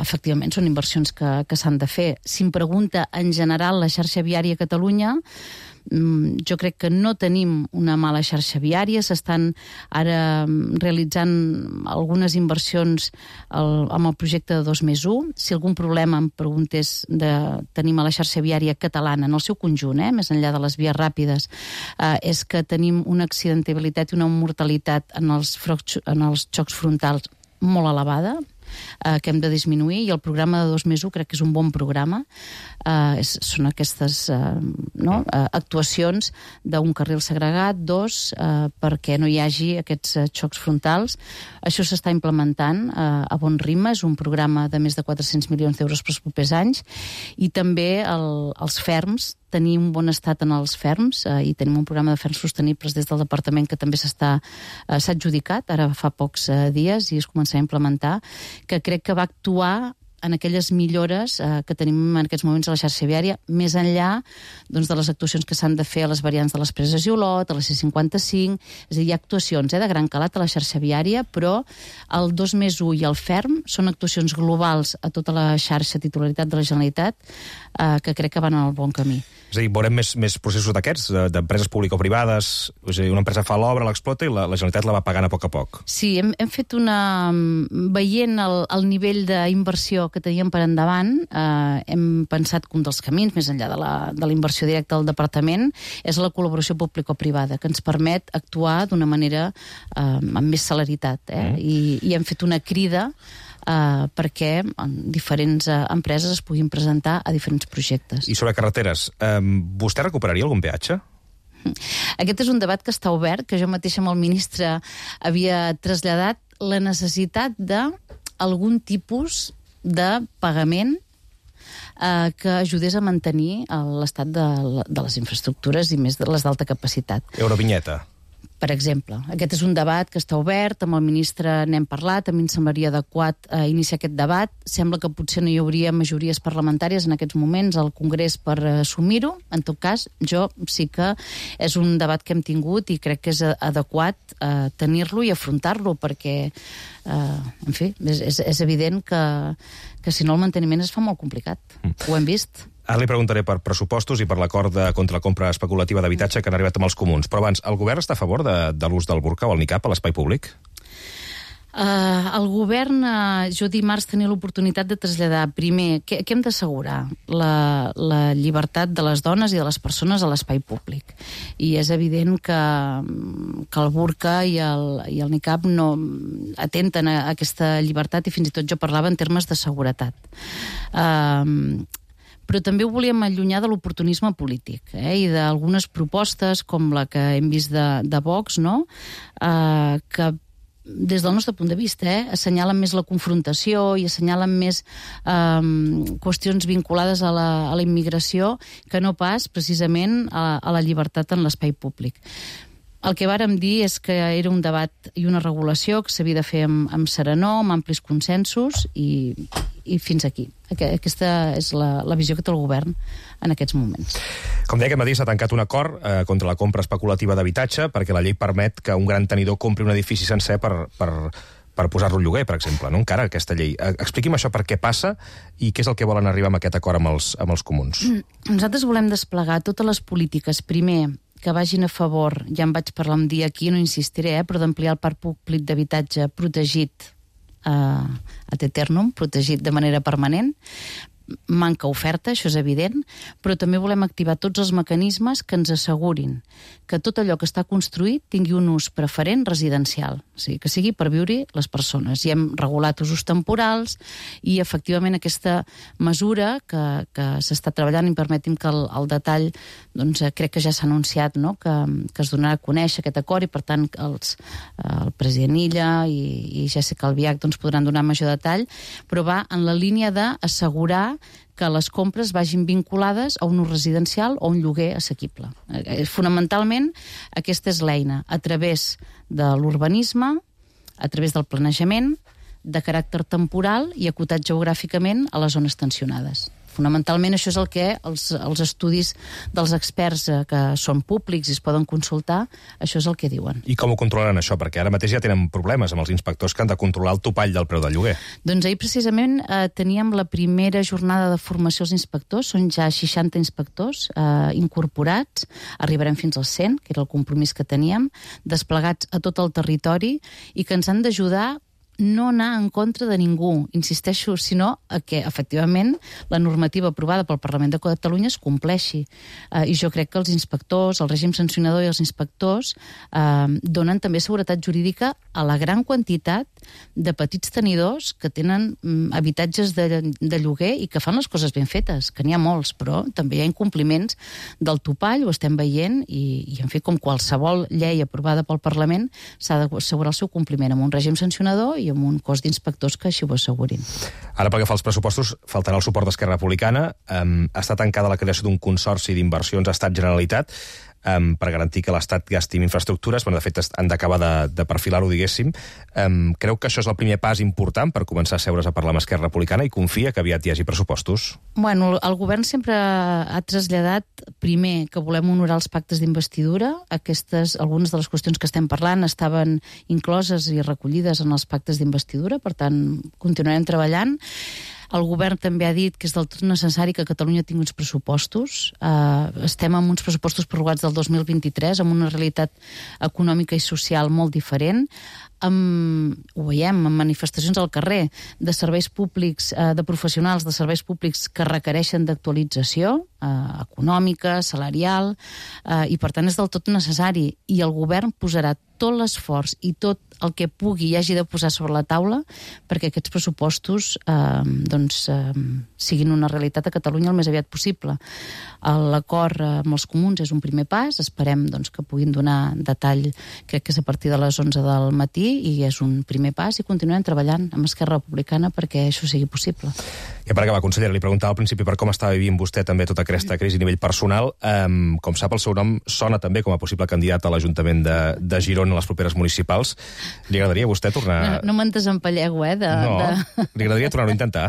efectivament són inversions que s'han de fer. Si em pregunta en general la xarxa viària a Catalunya, jo crec que no tenim una mala xarxa viària, s'estan ara realitzant algunes inversions amb el projecte de 2+1. Si algun problema em preguntés de tenim a la xarxa viària catalana en el seu conjunt, més enllà de les vies ràpides, és que tenim una accidentabilitat i una mortalitat en els xocs frontals molt elevada, que hem de disminuir, i el programa de 2+1 crec que és un bon programa. són aquestes actuacions d'un carril segregat, 2, perquè no hi hagi aquests xocs frontals. Això s'està implementant a bon ritme, és un programa de més de 400 milions d'euros pels propers anys, i també els ferms, tenir un bon estat en els ferms, i tenim un programa de ferms sostenibles des del departament que també s'ha adjudicat, ara fa pocs dies, i es començarà a implementar, que crec que va actuar en aquelles millores que tenim en aquests moments a la xarxa viària, més enllà de les actuacions que s'han de fer a les variants de les Preses i Olot, a la C55, és a dir, hi ha actuacions de gran calat a la xarxa viària, però el 2+1 i el ferm són actuacions globals a tota la xarxa titularitat de la Generalitat que crec que van en el bon camí. És a dir, veurem més processos d'aquests, d'empreses público-privades, és a dir, una empresa fa l'obra, l'explota i la Generalitat la va pagant a poc a poc. Sí, hem fet veient el nivell d'inversió que teníem per endavant, hem pensat que un dels camins, més enllà de la inversió directa del departament, és la col·laboració público-privada, que ens permet actuar d'una manera amb més celeritat. I hem fet una crida perquè diferents empreses es puguin presentar a diferents projectes. I sobre carreteres, vostè recuperaria algun peatge? Aquest és un debat que està obert, que jo mateixa amb el ministre havia traslladat la necessitat d'algun tipus de pagament que ajudés a mantenir l'estat de les infraestructures i més de les d'alta capacitat. Eurovinyeta. Per exemple, aquest és un debat que està obert, amb el ministre n'hem parlat, a mi em semblaria adequat iniciar aquest debat. Sembla que potser no hi hauria majories parlamentàries en aquests moments al Congrés per assumir-ho. En tot cas, jo sí que és un debat que hem tingut i crec que és adequat tenir-lo i afrontar-lo, perquè, en fi, és evident que si no el manteniment es fa molt complicat. Ho hem vist. Ara li preguntaré per pressupostos i per l'acord contra la compra especulativa d'habitatge que han arribat amb els comuns. Però abans, el govern està a favor de l'ús del burca o el niqab a l'espai públic? El govern, jo dimarts tenia l'oportunitat de traslladar, primer, què hem d'assegurar? La llibertat de les dones i de les persones a l'espai públic. I és evident que el burca i el niqab no atenten a aquesta llibertat, i fins i tot jo parlava en termes de seguretat. Però també ho volíem allunyar de l'oportunisme polític i d'algunes propostes com la que hem vist de Vox, no? Que des del nostre punt de vista assenyalen més la confrontació i assenyalen més qüestions vinculades a la immigració que no pas precisament a la llibertat en l'espai públic. El que vàrem dir és que era un debat i una regulació que s'havia de fer amb serenor, amb amplis consensos i fins aquí. Aquesta és la visió que té el govern en aquests moments. Com deia, aquest matí s'ha tancat un acord contra la compra especulativa d'habitatge perquè la llei permet que un gran tenidor compri un edifici sencer per posar-lo en lloguer, per exemple, no? Encara aquesta llei. Expliqui'm això, per què passa i què és el que volen arribar amb aquest acord amb els comuns. Nosaltres volem desplegar totes les polítiques, primer, que vagin a favor, ja en vaig parlar un dia aquí, no insistiré, però d'ampliar el parc públic d'habitatge protegit ad eternum, protegit de manera permanent. Manca oferta, això és evident, però també volem activar tots els mecanismes que ens assegurin que tot allò que està construït tingui un ús preferent residencial, o sigui, que sigui per viure-hi les persones. I hem regulat usos temporals i, efectivament, aquesta mesura que s'està treballant, i permeti'm que el detall, doncs, crec que ja s'ha anunciat, no? que es donarà a conèixer aquest acord, i, per tant, el president Illa i Jessica Albiach podran donar major detall, però va en la línia d'assegurar que les compres vagin vinculades a un ús residencial o un lloguer assequible. Fonamentalment, aquesta és l'eina, a través de l'urbanisme, a través del planejament, de caràcter temporal i acotat geogràficament a les zones tensionades. Fonamentalment, això és el que els estudis dels experts que són públics i es poden consultar, això és el que diuen. I com ho controlaran, això? Perquè ara mateix ja tenen problemes amb els inspectors que han de controlar el topall del preu del lloguer. Doncs ahir, precisament, teníem la primera jornada de formació als inspectors. Són ja 60 inspectors incorporats. Arribarem fins als 100, que era el compromís que teníem, desplegats a tot el territori i que ens han d'ajudar no anar en contra de ningú, insisteixo, sinó que, efectivament, la normativa aprovada pel Parlament de Catalunya es compleixi. I jo crec que els inspectors, el règim sancionador i els inspectors donen també seguretat jurídica a la gran quantitat de petits tenidors que tenen habitatges de lloguer i que fan les coses ben fetes, que n'hi ha molts, però també hi ha incompliments del topall, ho estem veient, i en fi, com qualsevol llei aprovada pel Parlament, s'ha d'assegurar el seu compliment amb un règim sancionador i amb un cos d'inspectors que així ho assegurin. Ara, pel que fa als pressupostos, faltarà el suport d'Esquerra Republicana. Està tancada la creació d'un consorci d'inversions Estat-Generalitat per garantir que l'Estat gasti en infraestructures. De fet, han d'acabar de perfilar-ho, diguéssim. Creu que això és el primer pas important per començar a seure's a parlar amb Esquerra Republicana i confia que aviat hi hagi pressupostos? Bueno, el govern sempre ha traslladat, primer, que volem honorar els pactes d'investidura. Algunes de les qüestions que estem parlant estaven incloses i recollides en els pactes d'investidura, per tant, continuarem treballant. El govern també ha dit que és del tot necessari que Catalunya tingui uns pressupostos. Estem amb uns pressupostos prorrogats del 2023, amb una realitat econòmica i social molt diferent. Ho veiem en manifestacions al carrer de serveis públics, de professionals de serveis públics que requereixen d'actualització econòmica, salarial, i per tant és del tot necessari. I el govern posarà tot l'esforç i tot el que pugui i hagi de posar sobre la taula perquè aquests pressupostos siguin una realitat a Catalunya el més aviat possible. L'acord amb els comuns és un primer pas, esperem que puguin donar detall, crec que és a partir de les 11 del matí, i és un primer pas, i continuem treballant amb Esquerra Republicana perquè això sigui possible. I per acabar, consellera, li preguntava al principi per com estava vivint vostè també tota aquesta crisi a nivell personal. Com sap, el seu nom sona també com a possible candidat a l'Ajuntament de Girona a les properes municipals. Li agradaria a vostè tornar... No me'n desempallego, Li agradaria tornar-ho a intentar?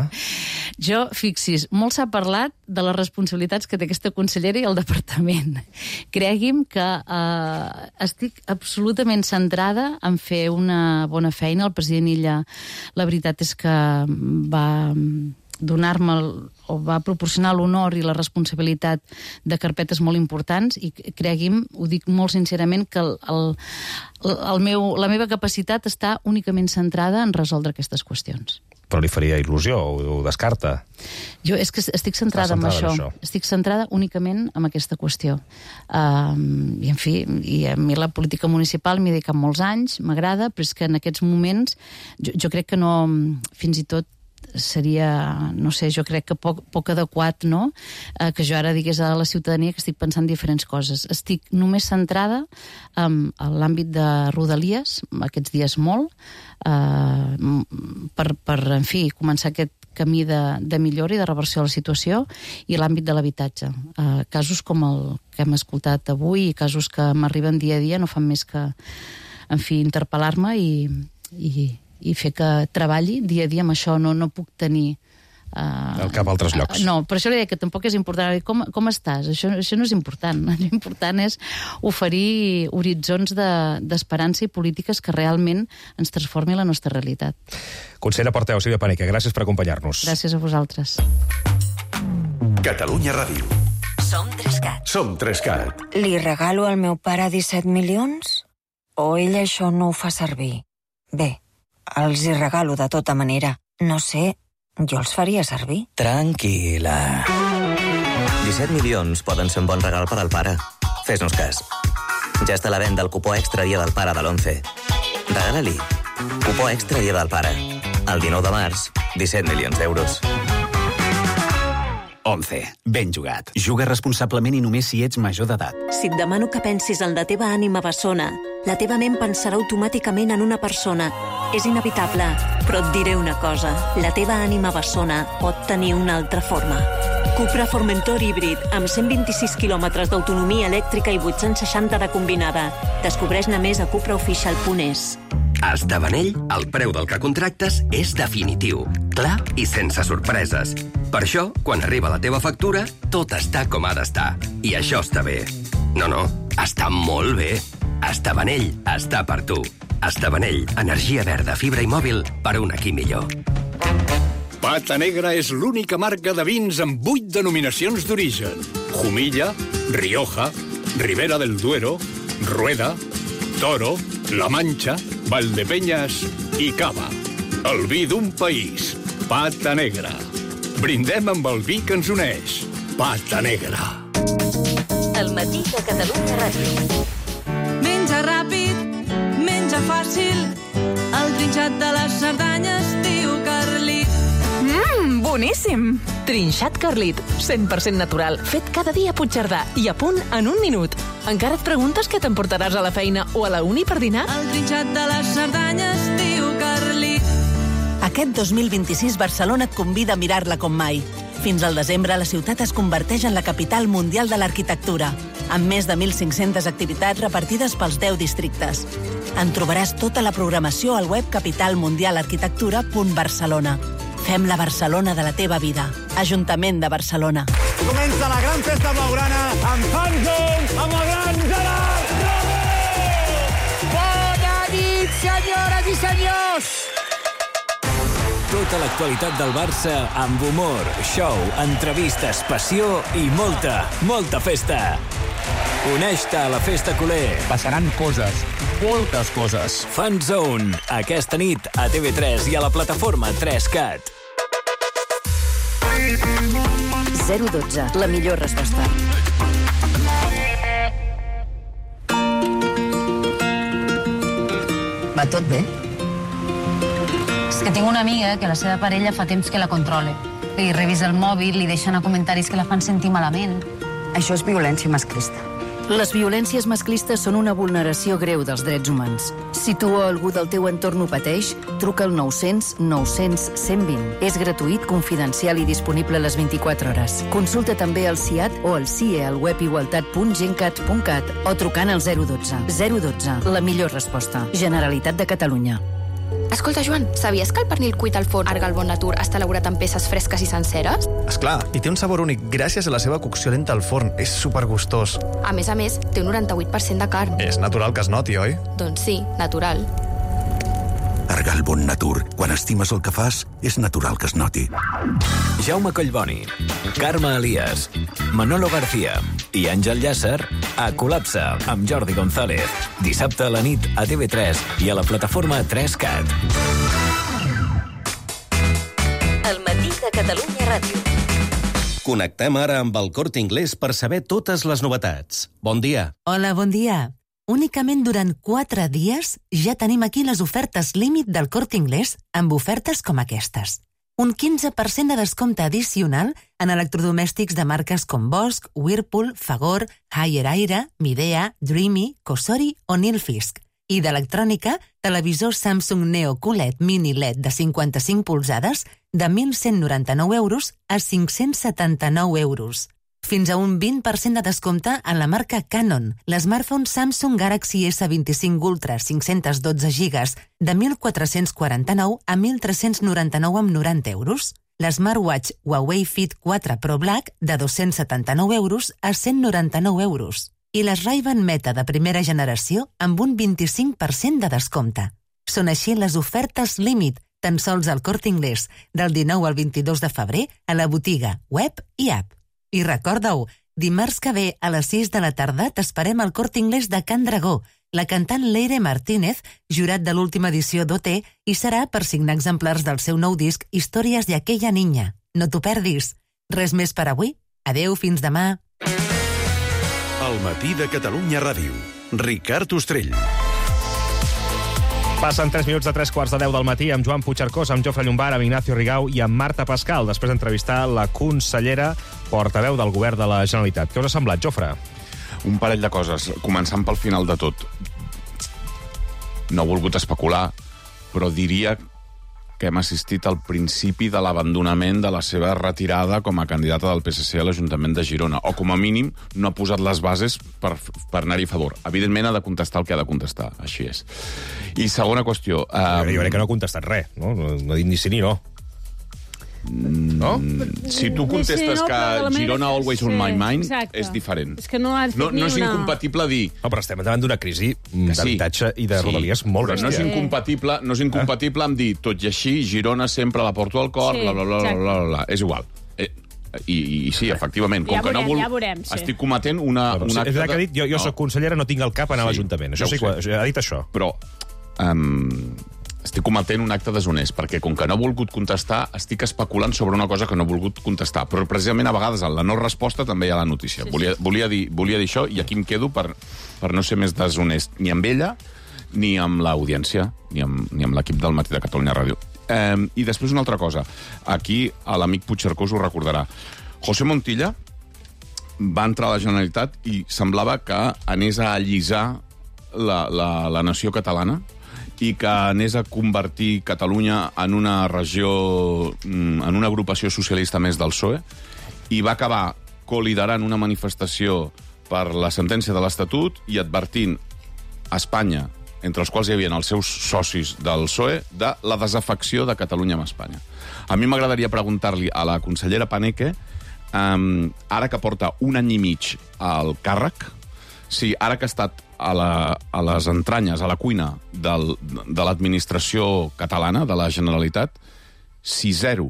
Jo, fixis, molt s'ha parlat de les responsabilitats que té aquesta consellera i el departament. Cregui'm que estic absolutament centrada en fer una bona feina. El president Illa, la veritat és que va donar-me o va proporcionar l'honor i la responsabilitat de carpetes molt importants, i cregui'm, ho dic molt sincerament, que la meva capacitat està únicament centrada en resoldre aquestes qüestions. Però li faria il·lusió, o ho descarta? Jo és que estic centrada en això. Estic centrada únicament en aquesta qüestió. I, en fi, a mi la política municipal m'hi he dedicat molts anys, m'agrada, però és que en aquests moments jo crec que no, fins i tot seria, no sé, jo crec que poc adequat, no?, que jo ara digués a la ciutadania que estic pensant diferents coses. Estic només centrada en l'àmbit de Rodalies, aquests dies molt, per en fi, començar aquest camí de millora i de reversió de la situació, i l'àmbit de l'habitatge. Casos com el que hem escoltat avui i casos que m'arriben dia a dia no fan més que, en fi, interpel·lar-me i fer que treballi dia a dia amb això. No puc tenir... al cap a altres llocs. No, per això li deia que tampoc és important. Com estàs? Això no és important. L'important és oferir horitzons d'esperança i polítiques que realment ens transformin la nostra realitat. Consellera Porteu, Sílvia Paneque, gràcies per acompanyar-nos. Gràcies a vosaltres. Catalunya Ràdio. Som 3CAT. Som 3CAT. Li regalo al meu pare 17 milions? O ell això no ho fa servir? Bé, els hi regalo de tota manera. No sé, jo els faria servir. Tranquil·la. 17 milions poden ser un bon regal per al pare. Fes-nos cas. Ja està a la venda el cupó extra Dia del Pare de l'11. Regala-li. Cupó extra Dia del Pare. El 19 de març, 17 milions d'euros. 11. Ben jugat. Juga responsablement i només si ets major d'edat. Si et demano que pensis en la teva ànima bessona, la teva ment pensarà automàticament en una persona. És inevitable, però et diré una cosa. La teva ànima bessona pot tenir una altra forma. Cupra Formentor híbrid, amb 126 quilòmetres d'autonomia elèctrica i 860 de combinada. Descobreix-ne més a cupraofficial.es. A Estavanell, el preu del que contractes és definitiu, clar i sense sorpreses. Per això, quan arriba la teva factura, tot està com ha d'estar. I això està bé. No, està molt bé. Estavanell està per tu. Estavanell, energia verda, fibra i mòbil per un aquí millor. Pata Negra és l'única marca de vins amb 8 denominacions d'origen. Jumilla, Rioja, Ribera del Duero, Rueda, Toro, La Mancha, Valdepeñas i Cava. El vi d'un país. Pata Negra. Brindem amb el vi que ens uneix. Pata Negra. El matí de Catalunya Ràdio. Menja ràpid, menja fàcil, el trinxat de les Cerdanyes diu Carlit. Boníssim! Trinxat Carlit, 100% natural, fet cada dia a Puigcerdà i a punt en un minut. Encara et preguntes què t'emportaràs a la feina o a la uni per dinar? El trinxat de les Cerdanyes diu Carlit. Aquest 2026 Barcelona et convida a mirar-la com mai. Fins al desembre, la ciutat es converteix en la capital mundial de l'arquitectura, amb més de 1.500 activitats repartides pels 10 districtes. En trobaràs tota la programació al web capitalmundialarquitectura.barcelona. Fem la Barcelona de la teva vida. Ajuntament de Barcelona. Comença la gran festa blaugrana amb Fanzone, amb el gran Gerard Romero! Bona nit, senyores i senyors! Tota l'actualitat del Barça amb humor, show, entrevistes, passió i molta festa. Uneix-te a la festa culer. Passaran coses, moltes coses. Fanzone, aquesta nit a TV3 i a la plataforma 3CAT. 012, la millor resposta. Va tot bé? És que tinc una amiga que la seva parella fa temps que la controla. Li revisa el mòbil, li deixa anar comentaris que la fan sentir malament. Això és violència masclista. Les violències masclistes són una vulneració greu dels drets humans. Si tu o algú del teu entorn ho pateix, truca al 900 900 120. És gratuït, confidencial i disponible a les 24 hores. Consulta també el CIAT o el CIE al web igualtat.gencat.cat o trucant al 012. 012, la millor resposta. Generalitat de Catalunya. Escolta, Joan, sabies que el pernil cuit al forn Arga al Bon Natur està elaborat en peces fresques i senceres? Esclar, i té un sabor únic gràcies a la seva cocció lenta al forn. És supergustós. A més, té un 98% de carn. És natural que es noti, oi? Doncs sí, natural. Arga al Bon Natur. Quan estimes el que fas, és natural que es noti. Jaume Collboni, Carme Elias, Manolo García i Àngel Llàcer a Col·lapse amb Jordi González. Dissabte a la nit a TV3 i a la plataforma 3CAT. El matí de Catalunya Ràdio. Connectem ara amb el Corte Inglés per saber totes les novetats. Bon dia. Hola, bon dia. Únicament durant 4 dies ja tenim aquí les ofertes límit del Corte Inglés amb ofertes com aquestes. Un 15% de descompte addicional en electrodomèstics de marques com Bosch, Whirlpool, Fagor, Haier Aire, Midea, Dreamy, Cosori o Nilfisk. I d'electrònica, televisor Samsung Neo QLED Mini LED de 55 polzades de 1.199 euros a 579 euros. Fins a un 20% de descompte en la marca Canon. L'smartphone Samsung Galaxy S25 Ultra 512 GB de 1.449 a 1.399 amb 90 euros. L'smartwatch Huawei Fit 4 Pro Black de 279 euros a 199 euros. I les Ray-Ban Meta de primera generació amb un 25% de descompte. Són així les ofertes límit, tan sols al Corte Inglés, del 19 al 22 de febrer a la botiga, web i app. I recorda-ho, dimarts que ve a les 6 de la tarda t'esperem al Corte Inglés de Can Dragó. La cantant Leire Martínez, jurat de l'última edició d'OT, hi serà per signar exemplars del seu nou disc Històries de aquella niña. No t'ho perdis. Res més per avui. Adeu, fins demà. El matí de Catalunya Ràdio. Ricard Ostrell. Passen 3 minuts de 3:15 del matí amb Joan Puigcercós, amb Jofre Llombart, amb Ignacio Rigau i amb Marta Pascal, després d'entrevistar la consellera portaveu del govern de la Generalitat. Què us ha semblat, Jofre? Un parell de coses, començant pel final de tot. No he volgut especular, però diria que hem assistit al principi de l'abandonament de la seva retirada com a candidata del PSC a l'Ajuntament de Girona, o com a mínim no ha posat les bases per anar-hi a favor. Evidentment ha de contestar el que ha de contestar, així és. I segona qüestió... Jo crec que no ha contestat res, no? No ha dit ni sí ni no. No? Si tu contestes que Girona always on my mind, és diferent. És que no has fet no és incompatible dir... No, però estem davant d'una crisi d'habitatge i de rodalies molt bèstia. No és incompatible amb dir, tot i així, Girona sempre la porto al cor, bla, bla, bla, bla, bla. És igual. I sí, efectivament, com que no vol... Estic cometent una acte... És que ha dit, jo soc consellera, no tinc el cap a anar a l'Ajuntament. Això sí, ha dit això. Però estic cometent un acte deshonest, perquè com que no he volgut contestar, estic especulant sobre una cosa que no he volgut contestar. Però precisament a vegades en la no resposta també hi ha la notícia. Volia dir això i aquí em quedo per no ser més deshonest ni amb ella, ni amb l'audiència, ni amb l'equip del Matí de Catalunya Ràdio. I després una altra cosa. Aquí l'amic Puigcercós ho recordarà. José Montilla va entrar a la Generalitat i semblava que anés a allisar la nació catalana i que anés a convertir Catalunya en una regió, en una agrupació socialista més del PSOE, i va acabar coliderant una manifestació per la sentència de l'Estatut i advertint a Espanya, entre els quals hi havia els seus socis del PSOE, de la desafecció de Catalunya amb Espanya. A mi m'agradaria preguntar-li a la consellera Paneque, ara que porta 1 any i mig al càrrec, si ara que ha estat a les entranyes, a la cuina de l'administració catalana, de la Generalitat, si 0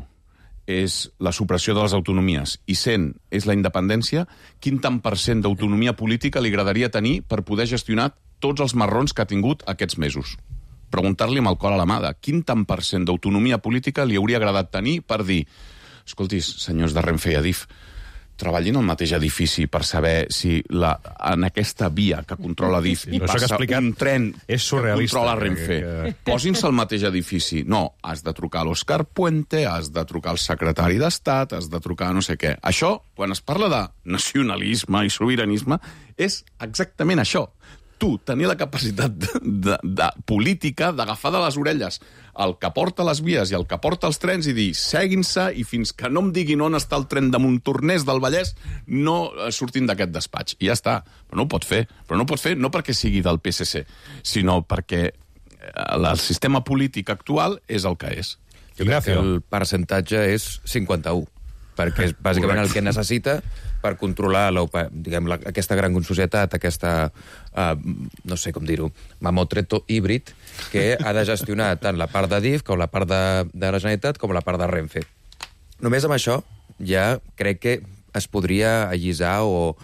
és la supressió de les autonomies i 100 és la independència, quin tant % d'autonomia política li agradaria tenir per poder gestionar tots els marrons que ha tingut aquests mesos? Preguntar-li amb el cor a la mà de quin tant % d'autonomia política li hauria agradat tenir per dir: escoltis, senyors de Renfe i Adif, treballin al mateix edifici per saber si en aquesta via que controla Adif hi passa un tren que controla Renfe. Posin-se al mateix edifici. No, has de trucar a l'Òscar Puente, has de trucar al secretari d'Estat, has de trucar a no sé què. Això, quan es parla de nacionalisme i sobiranisme, és exactament això. Tu tenir la capacitat de política d'agafar de les orelles el que porta les vies i el que porta els trens i dir seguin-se i fins que no em diguin on està el tren de Montornès del Vallès no sortim d'aquest despatx. I ja està. Però no ho pot fer. Però no ho pot fer no perquè sigui del PSC, sinó perquè el sistema polític actual és el que és. Jo crec que el percentatge és 51, perquè és bàsicament el que necessita per controlar aquesta gran societat, aquesta, no sé com dir-ho, mamotreto híbrid, que ha de gestionar tant la part d'Adif com la part de la Generalitat com la part de Renfe. Només amb això ja crec que es podria allisar o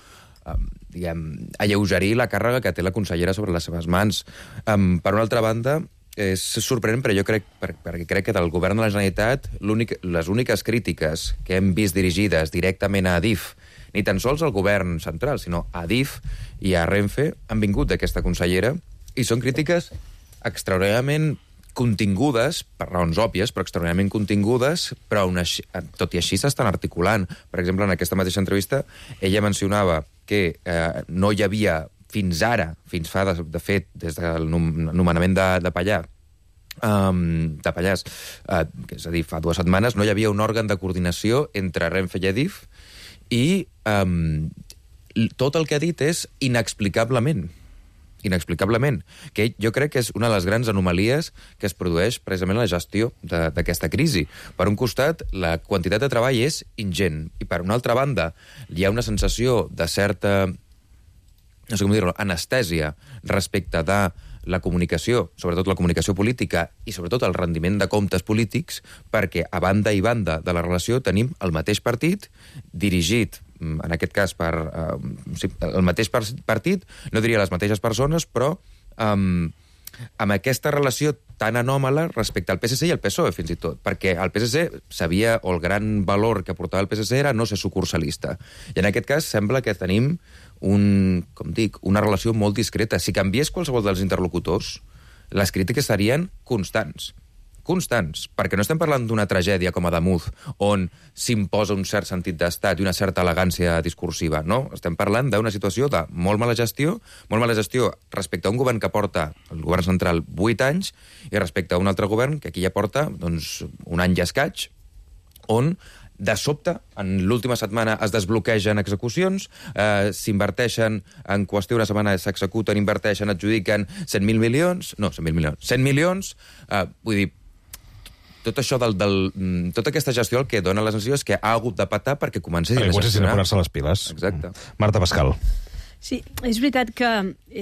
alleugerir la càrrega que té la consellera sobre les seves mans. Per una altra banda, és sorprenent, però jo crec, perquè crec que del govern de la Generalitat les úniques crítiques que hem vist dirigides directament a Adif, ni tan sols al govern central, sinó a Adif i a Renfe, han vingut d'aquesta consellera, i són crítiques extraordinàriament contingudes, per raons òbvies, però extraordinàriament contingudes, però tot i així s'estan articulant. Per exemple, en aquesta mateixa entrevista, ella mencionava que no hi havia fins ara, fins fa, de fet, des del nomenament de Pallars, és a dir, fa 2 setmanes, no hi havia un òrgan de coordinació entre Renfe i Adif, i tot el que ha dit és inexplicablement, que jo crec que és una de les grans anomalies que es produeix precisament en la gestió d'aquesta crisi. Per un costat, la quantitat de treball és ingent, i per una altra banda, hi ha una sensació de certa, no sé com dir-ho, anestèsia respecte de la comunicació, sobretot la comunicació política i sobretot el rendiment de comptes polítics, perquè a banda i banda de la relació tenim el mateix partit dirigit, en aquest cas per el mateix partit, no diria les mateixes persones, però amb aquesta relació tan anòmala respecte al PSC i al PSOE, fins i tot, perquè el PSC sabia, o el gran valor que portava el PSC era no ser sucursalista. I en aquest cas sembla que tenim una relació molt discreta. Si canviés qualsevol dels interlocutors, les crítiques serien constants, perquè no estem parlant d'una tragèdia com a Damunt, on s'imposa un cert sentit d'estat i una certa elegància discursiva, no? Estem parlant d'una situació de molt mala gestió respecte a un govern que porta, el govern central, 8 anys, i respecte a un altre govern que aquí ja porta un any i escaig, on de sobte, en l'última setmana es desbloquegen execucions, s'inverteixen en qüestió d'una setmana, s'executen, inverteixen, adjudiquen 100 milions, vull dir, tot això tota aquesta gestió el que dona la sensació és que ha hagut de patar perquè comencessin a gestionar. Posar-se les piles. Exacte. Marta Pascal. Sí, és veritat que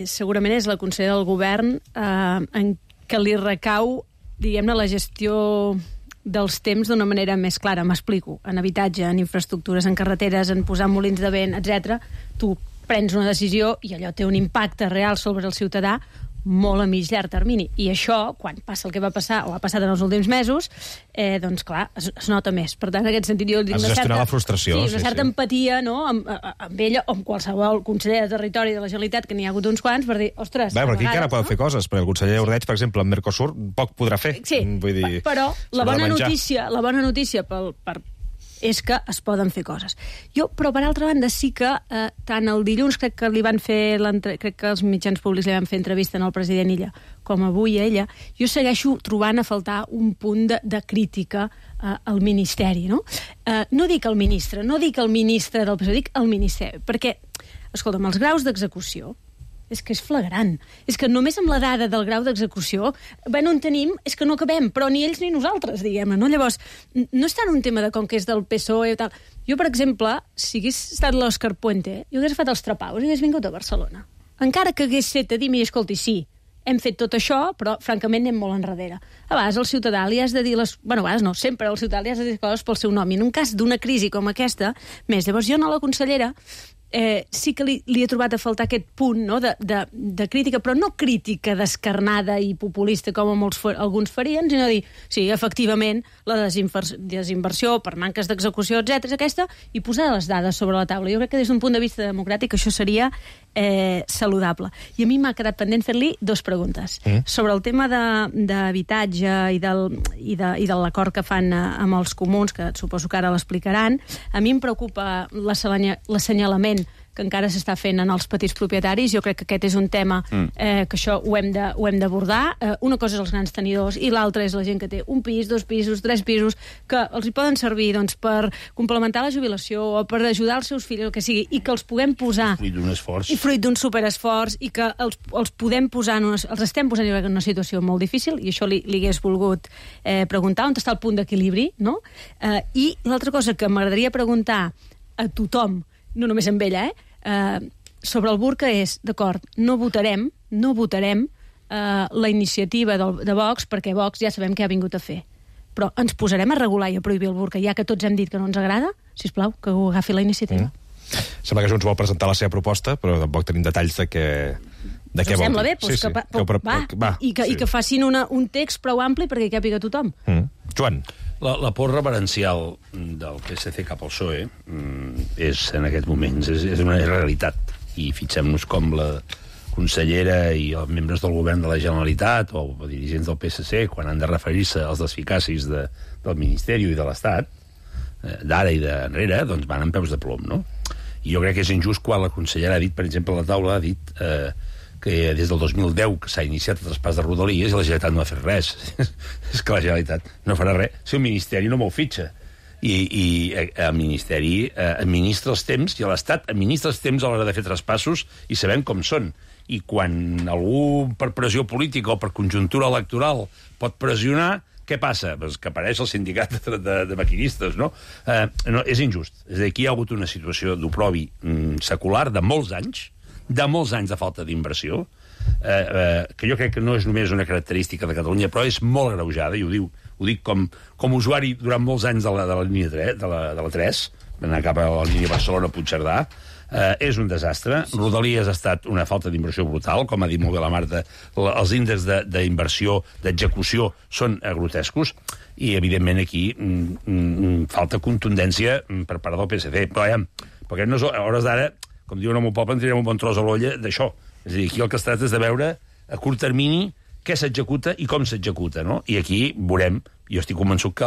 segurament és la consellera del govern en què li recau, diguem-ne, la gestió dels temps d'una manera més clara. M'explico. En habitatge, en infraestructures, en carreteres, en posar molins de vent, etc. Tu prens una decisió i allò té un impacte real sobre el ciutadà molt a mig llarg termini. I això, quan passa el que va passar, o ha passat en els últims mesos, doncs, clar, es nota més. Per tant, en aquest sentit, jo dic has de gestionar la frustració. Sí, una certa empatia, no?, amb ella o amb qualsevol conseller de Territori de la Generalitat, que n'hi ha hagut uns quants, per dir, ostres... Bé, però aquí encara poden fer coses, perquè el conseller Ordeig, per exemple, en Mercosur, poc podrà fer. Sí, vull dir, però la bona notícia és que es poden fer coses. Però, per altra banda, sí que tant el dilluns crec que els mitjans públics li van fer entrevista al president Illa, com avui a ella, jo segueixo trobant a faltar un punt de crítica al Ministeri, no? No dic el ministre del PSOE, dic el Ministeri, perquè, escolta'm, els graus d'execució és que és flagrant. És que només amb la dada del grau d'execució, no en tenim, és que no acabem, però ni ells ni nosaltres, diguem-ne, no? Llavors, no és tant un tema de com que és del PSOE i tal. Jo, per exemple, si hagués estat l'Òscar Puente, jo hagués fet els trapaus i hagués vingut a Barcelona. Encara que hagués set a dir, mira, escolti, sí, hem fet tot això, però, francament, anem molt enrere. A vegades al ciutadà li has de dir a vegades no, sempre al ciutadà li has de dir coses pel seu nom. I en un cas d'una crisi com aquesta, més, llavors jo a la consellera sí que li he trobat a faltar aquest punt, no?, de crítica, però no crítica descarnada i populista com alguns farien, sinó dir, sí, efectivament, la desinversió per manques d'execució, etc., aquesta, i posar les dades sobre la taula. Jo crec que des d'un punt de vista democràtic això seria saludable. I a mi m'ha quedat pendent fer-li 2 preguntes. Sobre el tema d'habitatge i de l'acord que fan amb els comuns, que suposo que ara l'explicaran, a mi em preocupa l'assenyalament que encara s'està fent en els petits propietaris. Jo crec que aquest és un tema que això ho hem d'abordar. Una cosa és els grans tenidors i l'altra és la gent que té un pis, 2 pisos, 3 pisos, que els hi poden servir per complementar la jubilació o per ajudar els seus fills, el que sigui, i que els puguem posar... Fruit d'un esforç. I fruit d'un superesforç, i que els podem posar... Els estem posant en una situació molt difícil, i això li hagués volgut preguntar, on està el punt d'equilibri, no? I l'altra cosa que m'agradaria preguntar a tothom, no només amb ella, sobre el burca és, d'acord, no votarem la iniciativa de Vox, perquè Vox ja sabem què ha vingut a fer. Però ens posarem a regular i a prohibir el burca, ja que tots hem dit que no ens agrada? Sisplau, que ho agafi la iniciativa. Sembla que Junts vol presentar la seva proposta, però tampoc tenim detalls de què vol dir. Sembla bé, i que facin un text prou ampli perquè hi càpiga tothom. Joan. La por reverencial del PSC cap al PSOE és, en aquests moments, és una realitat. I fixem-nos com la consellera i els membres del govern de la Generalitat o dirigents del PSC, quan han de referir-se als desficacis del Ministeri i de l'Estat, d'ara i d'enrere, doncs van amb peus de plom, no? I jo crec que és injust quan la consellera ha dit, per exemple, a la taula, ha dit que des del 2010 que s'ha iniciat el traspàs de Rodalies i la Generalitat no ha fet res. És que la Generalitat no farà res si el Ministeri no mou fitxa. I el Ministeri administra els temps i l'Estat administra els temps a l'hora de fer traspassos i sabem com són. I quan algú, per pressió política o per conjuntura electoral, pot pressionar, què passa? Pues que apareix el sindicat de maquinistes, no? No, és injust. És a dir, aquí hi ha hagut una situació d'oprobi secular de molts anys de falta d'inversió, que jo crec que no és només una característica de Catalunya, però és molt agreujada, i ho dic com usuari durant molts anys de la línia 3, de la 3, anar cap a la línia Barcelona-Puigcerdà. És un desastre. Rodalies ha estat una falta d'inversió brutal, com ha dit molt bé la Marta. Els índexs d'inversió, d'execució, són grotescos, i, evidentment, aquí falta contundència per part del PSC. Però, perquè no és, a hores d'ara, com diuen al meu poble, en tirem un bon tros a l'olla d'això. És a dir, aquí el que es tracta és de veure a curt termini què s'executa i com s'executa, no? I aquí veurem, jo estic convençut que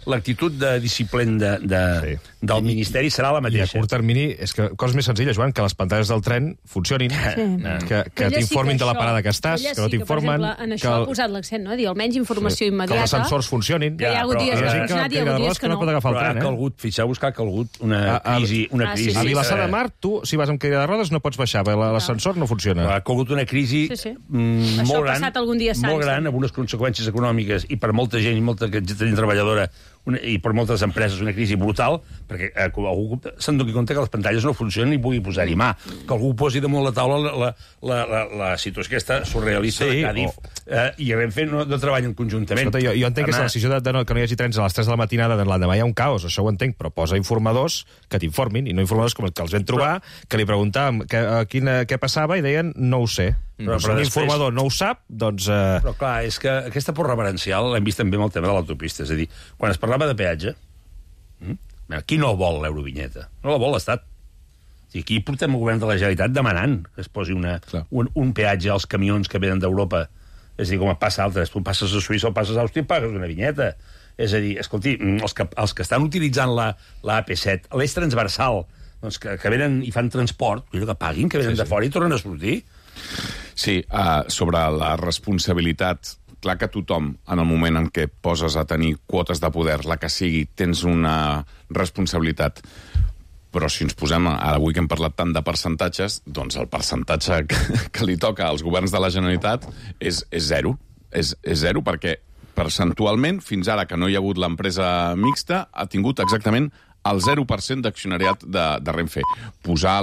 l'actitud de disciplin del Ministeri serà la mateixa. I a curt termini, és que cosa més senzilla, Joan, que les pantalles del tren funcionin, que t'informin de la parada que estàs, que no t'informen... Per exemple, en això ha posat l'accent, no? Dir, almenys informació immediata. Que els ascensors funcionin. Que hi ha hagut dies que ha funcionat i hi ha hagut dies que no. Però ha calgut, fixeu-vos que ha calgut una crisi. A Vilassar de Mar, tu, si vas amb cadira de rodes, no pots baixar, l'ascensor no funciona. Ha calgut una crisi molt gran, amb unes conseqüències econòmiques, i per molta gent i molta gent treballadora, i per moltes empreses una crisi brutal, perquè algú se'n doni compte que les pantalles no funcionen i pugui posar-hi mà. Que algú posi damunt la taula la situació aquesta surrealista de Càdiz, i Renfe no treballen conjuntament. Escolta, jo entenc que és la decisió que no hi hagi trens a les 3 de la matinada de l'endemà, hi ha un caos, això ho entenc, però posa informadors que t'informin, i no informadors com els que els vam trobar, que li preguntàvem què passava i deien no ho sé. Però si un informador no ho sap, doncs... Però clar, és que aquesta por reverencial l'hem vist també amb el tema de l'autopista. És a dir, quan es parlava de peatge, qui no vol l'eurovinyeta? No la vol l'Estat. Aquí portem el govern de la Generalitat demanant que es posi un peatge als camions que venen d'Europa. És a dir, com passa a altres. Tu passes a Suïssa o passes a Àustria i pagues una vinyeta. És a dir, escolti, els que estan utilitzant la AP7, l'eix transversal, doncs que venen i fan transport, que paguin, que venen de fora i tornen a sortir. Sí, sobre la responsabilitat, clar que tothom, en el moment en què poses a tenir quotes de poder, la que sigui, tens una responsabilitat. Però si ens posem, ara avui que hem parlat tant de percentatges, doncs el percentatge que li toca als governs de la Generalitat és zero. És zero perquè percentualment, fins ara que no hi ha hagut l'empresa mixta, ha tingut exactament el 0% d'accionariat de Renfe. Posar la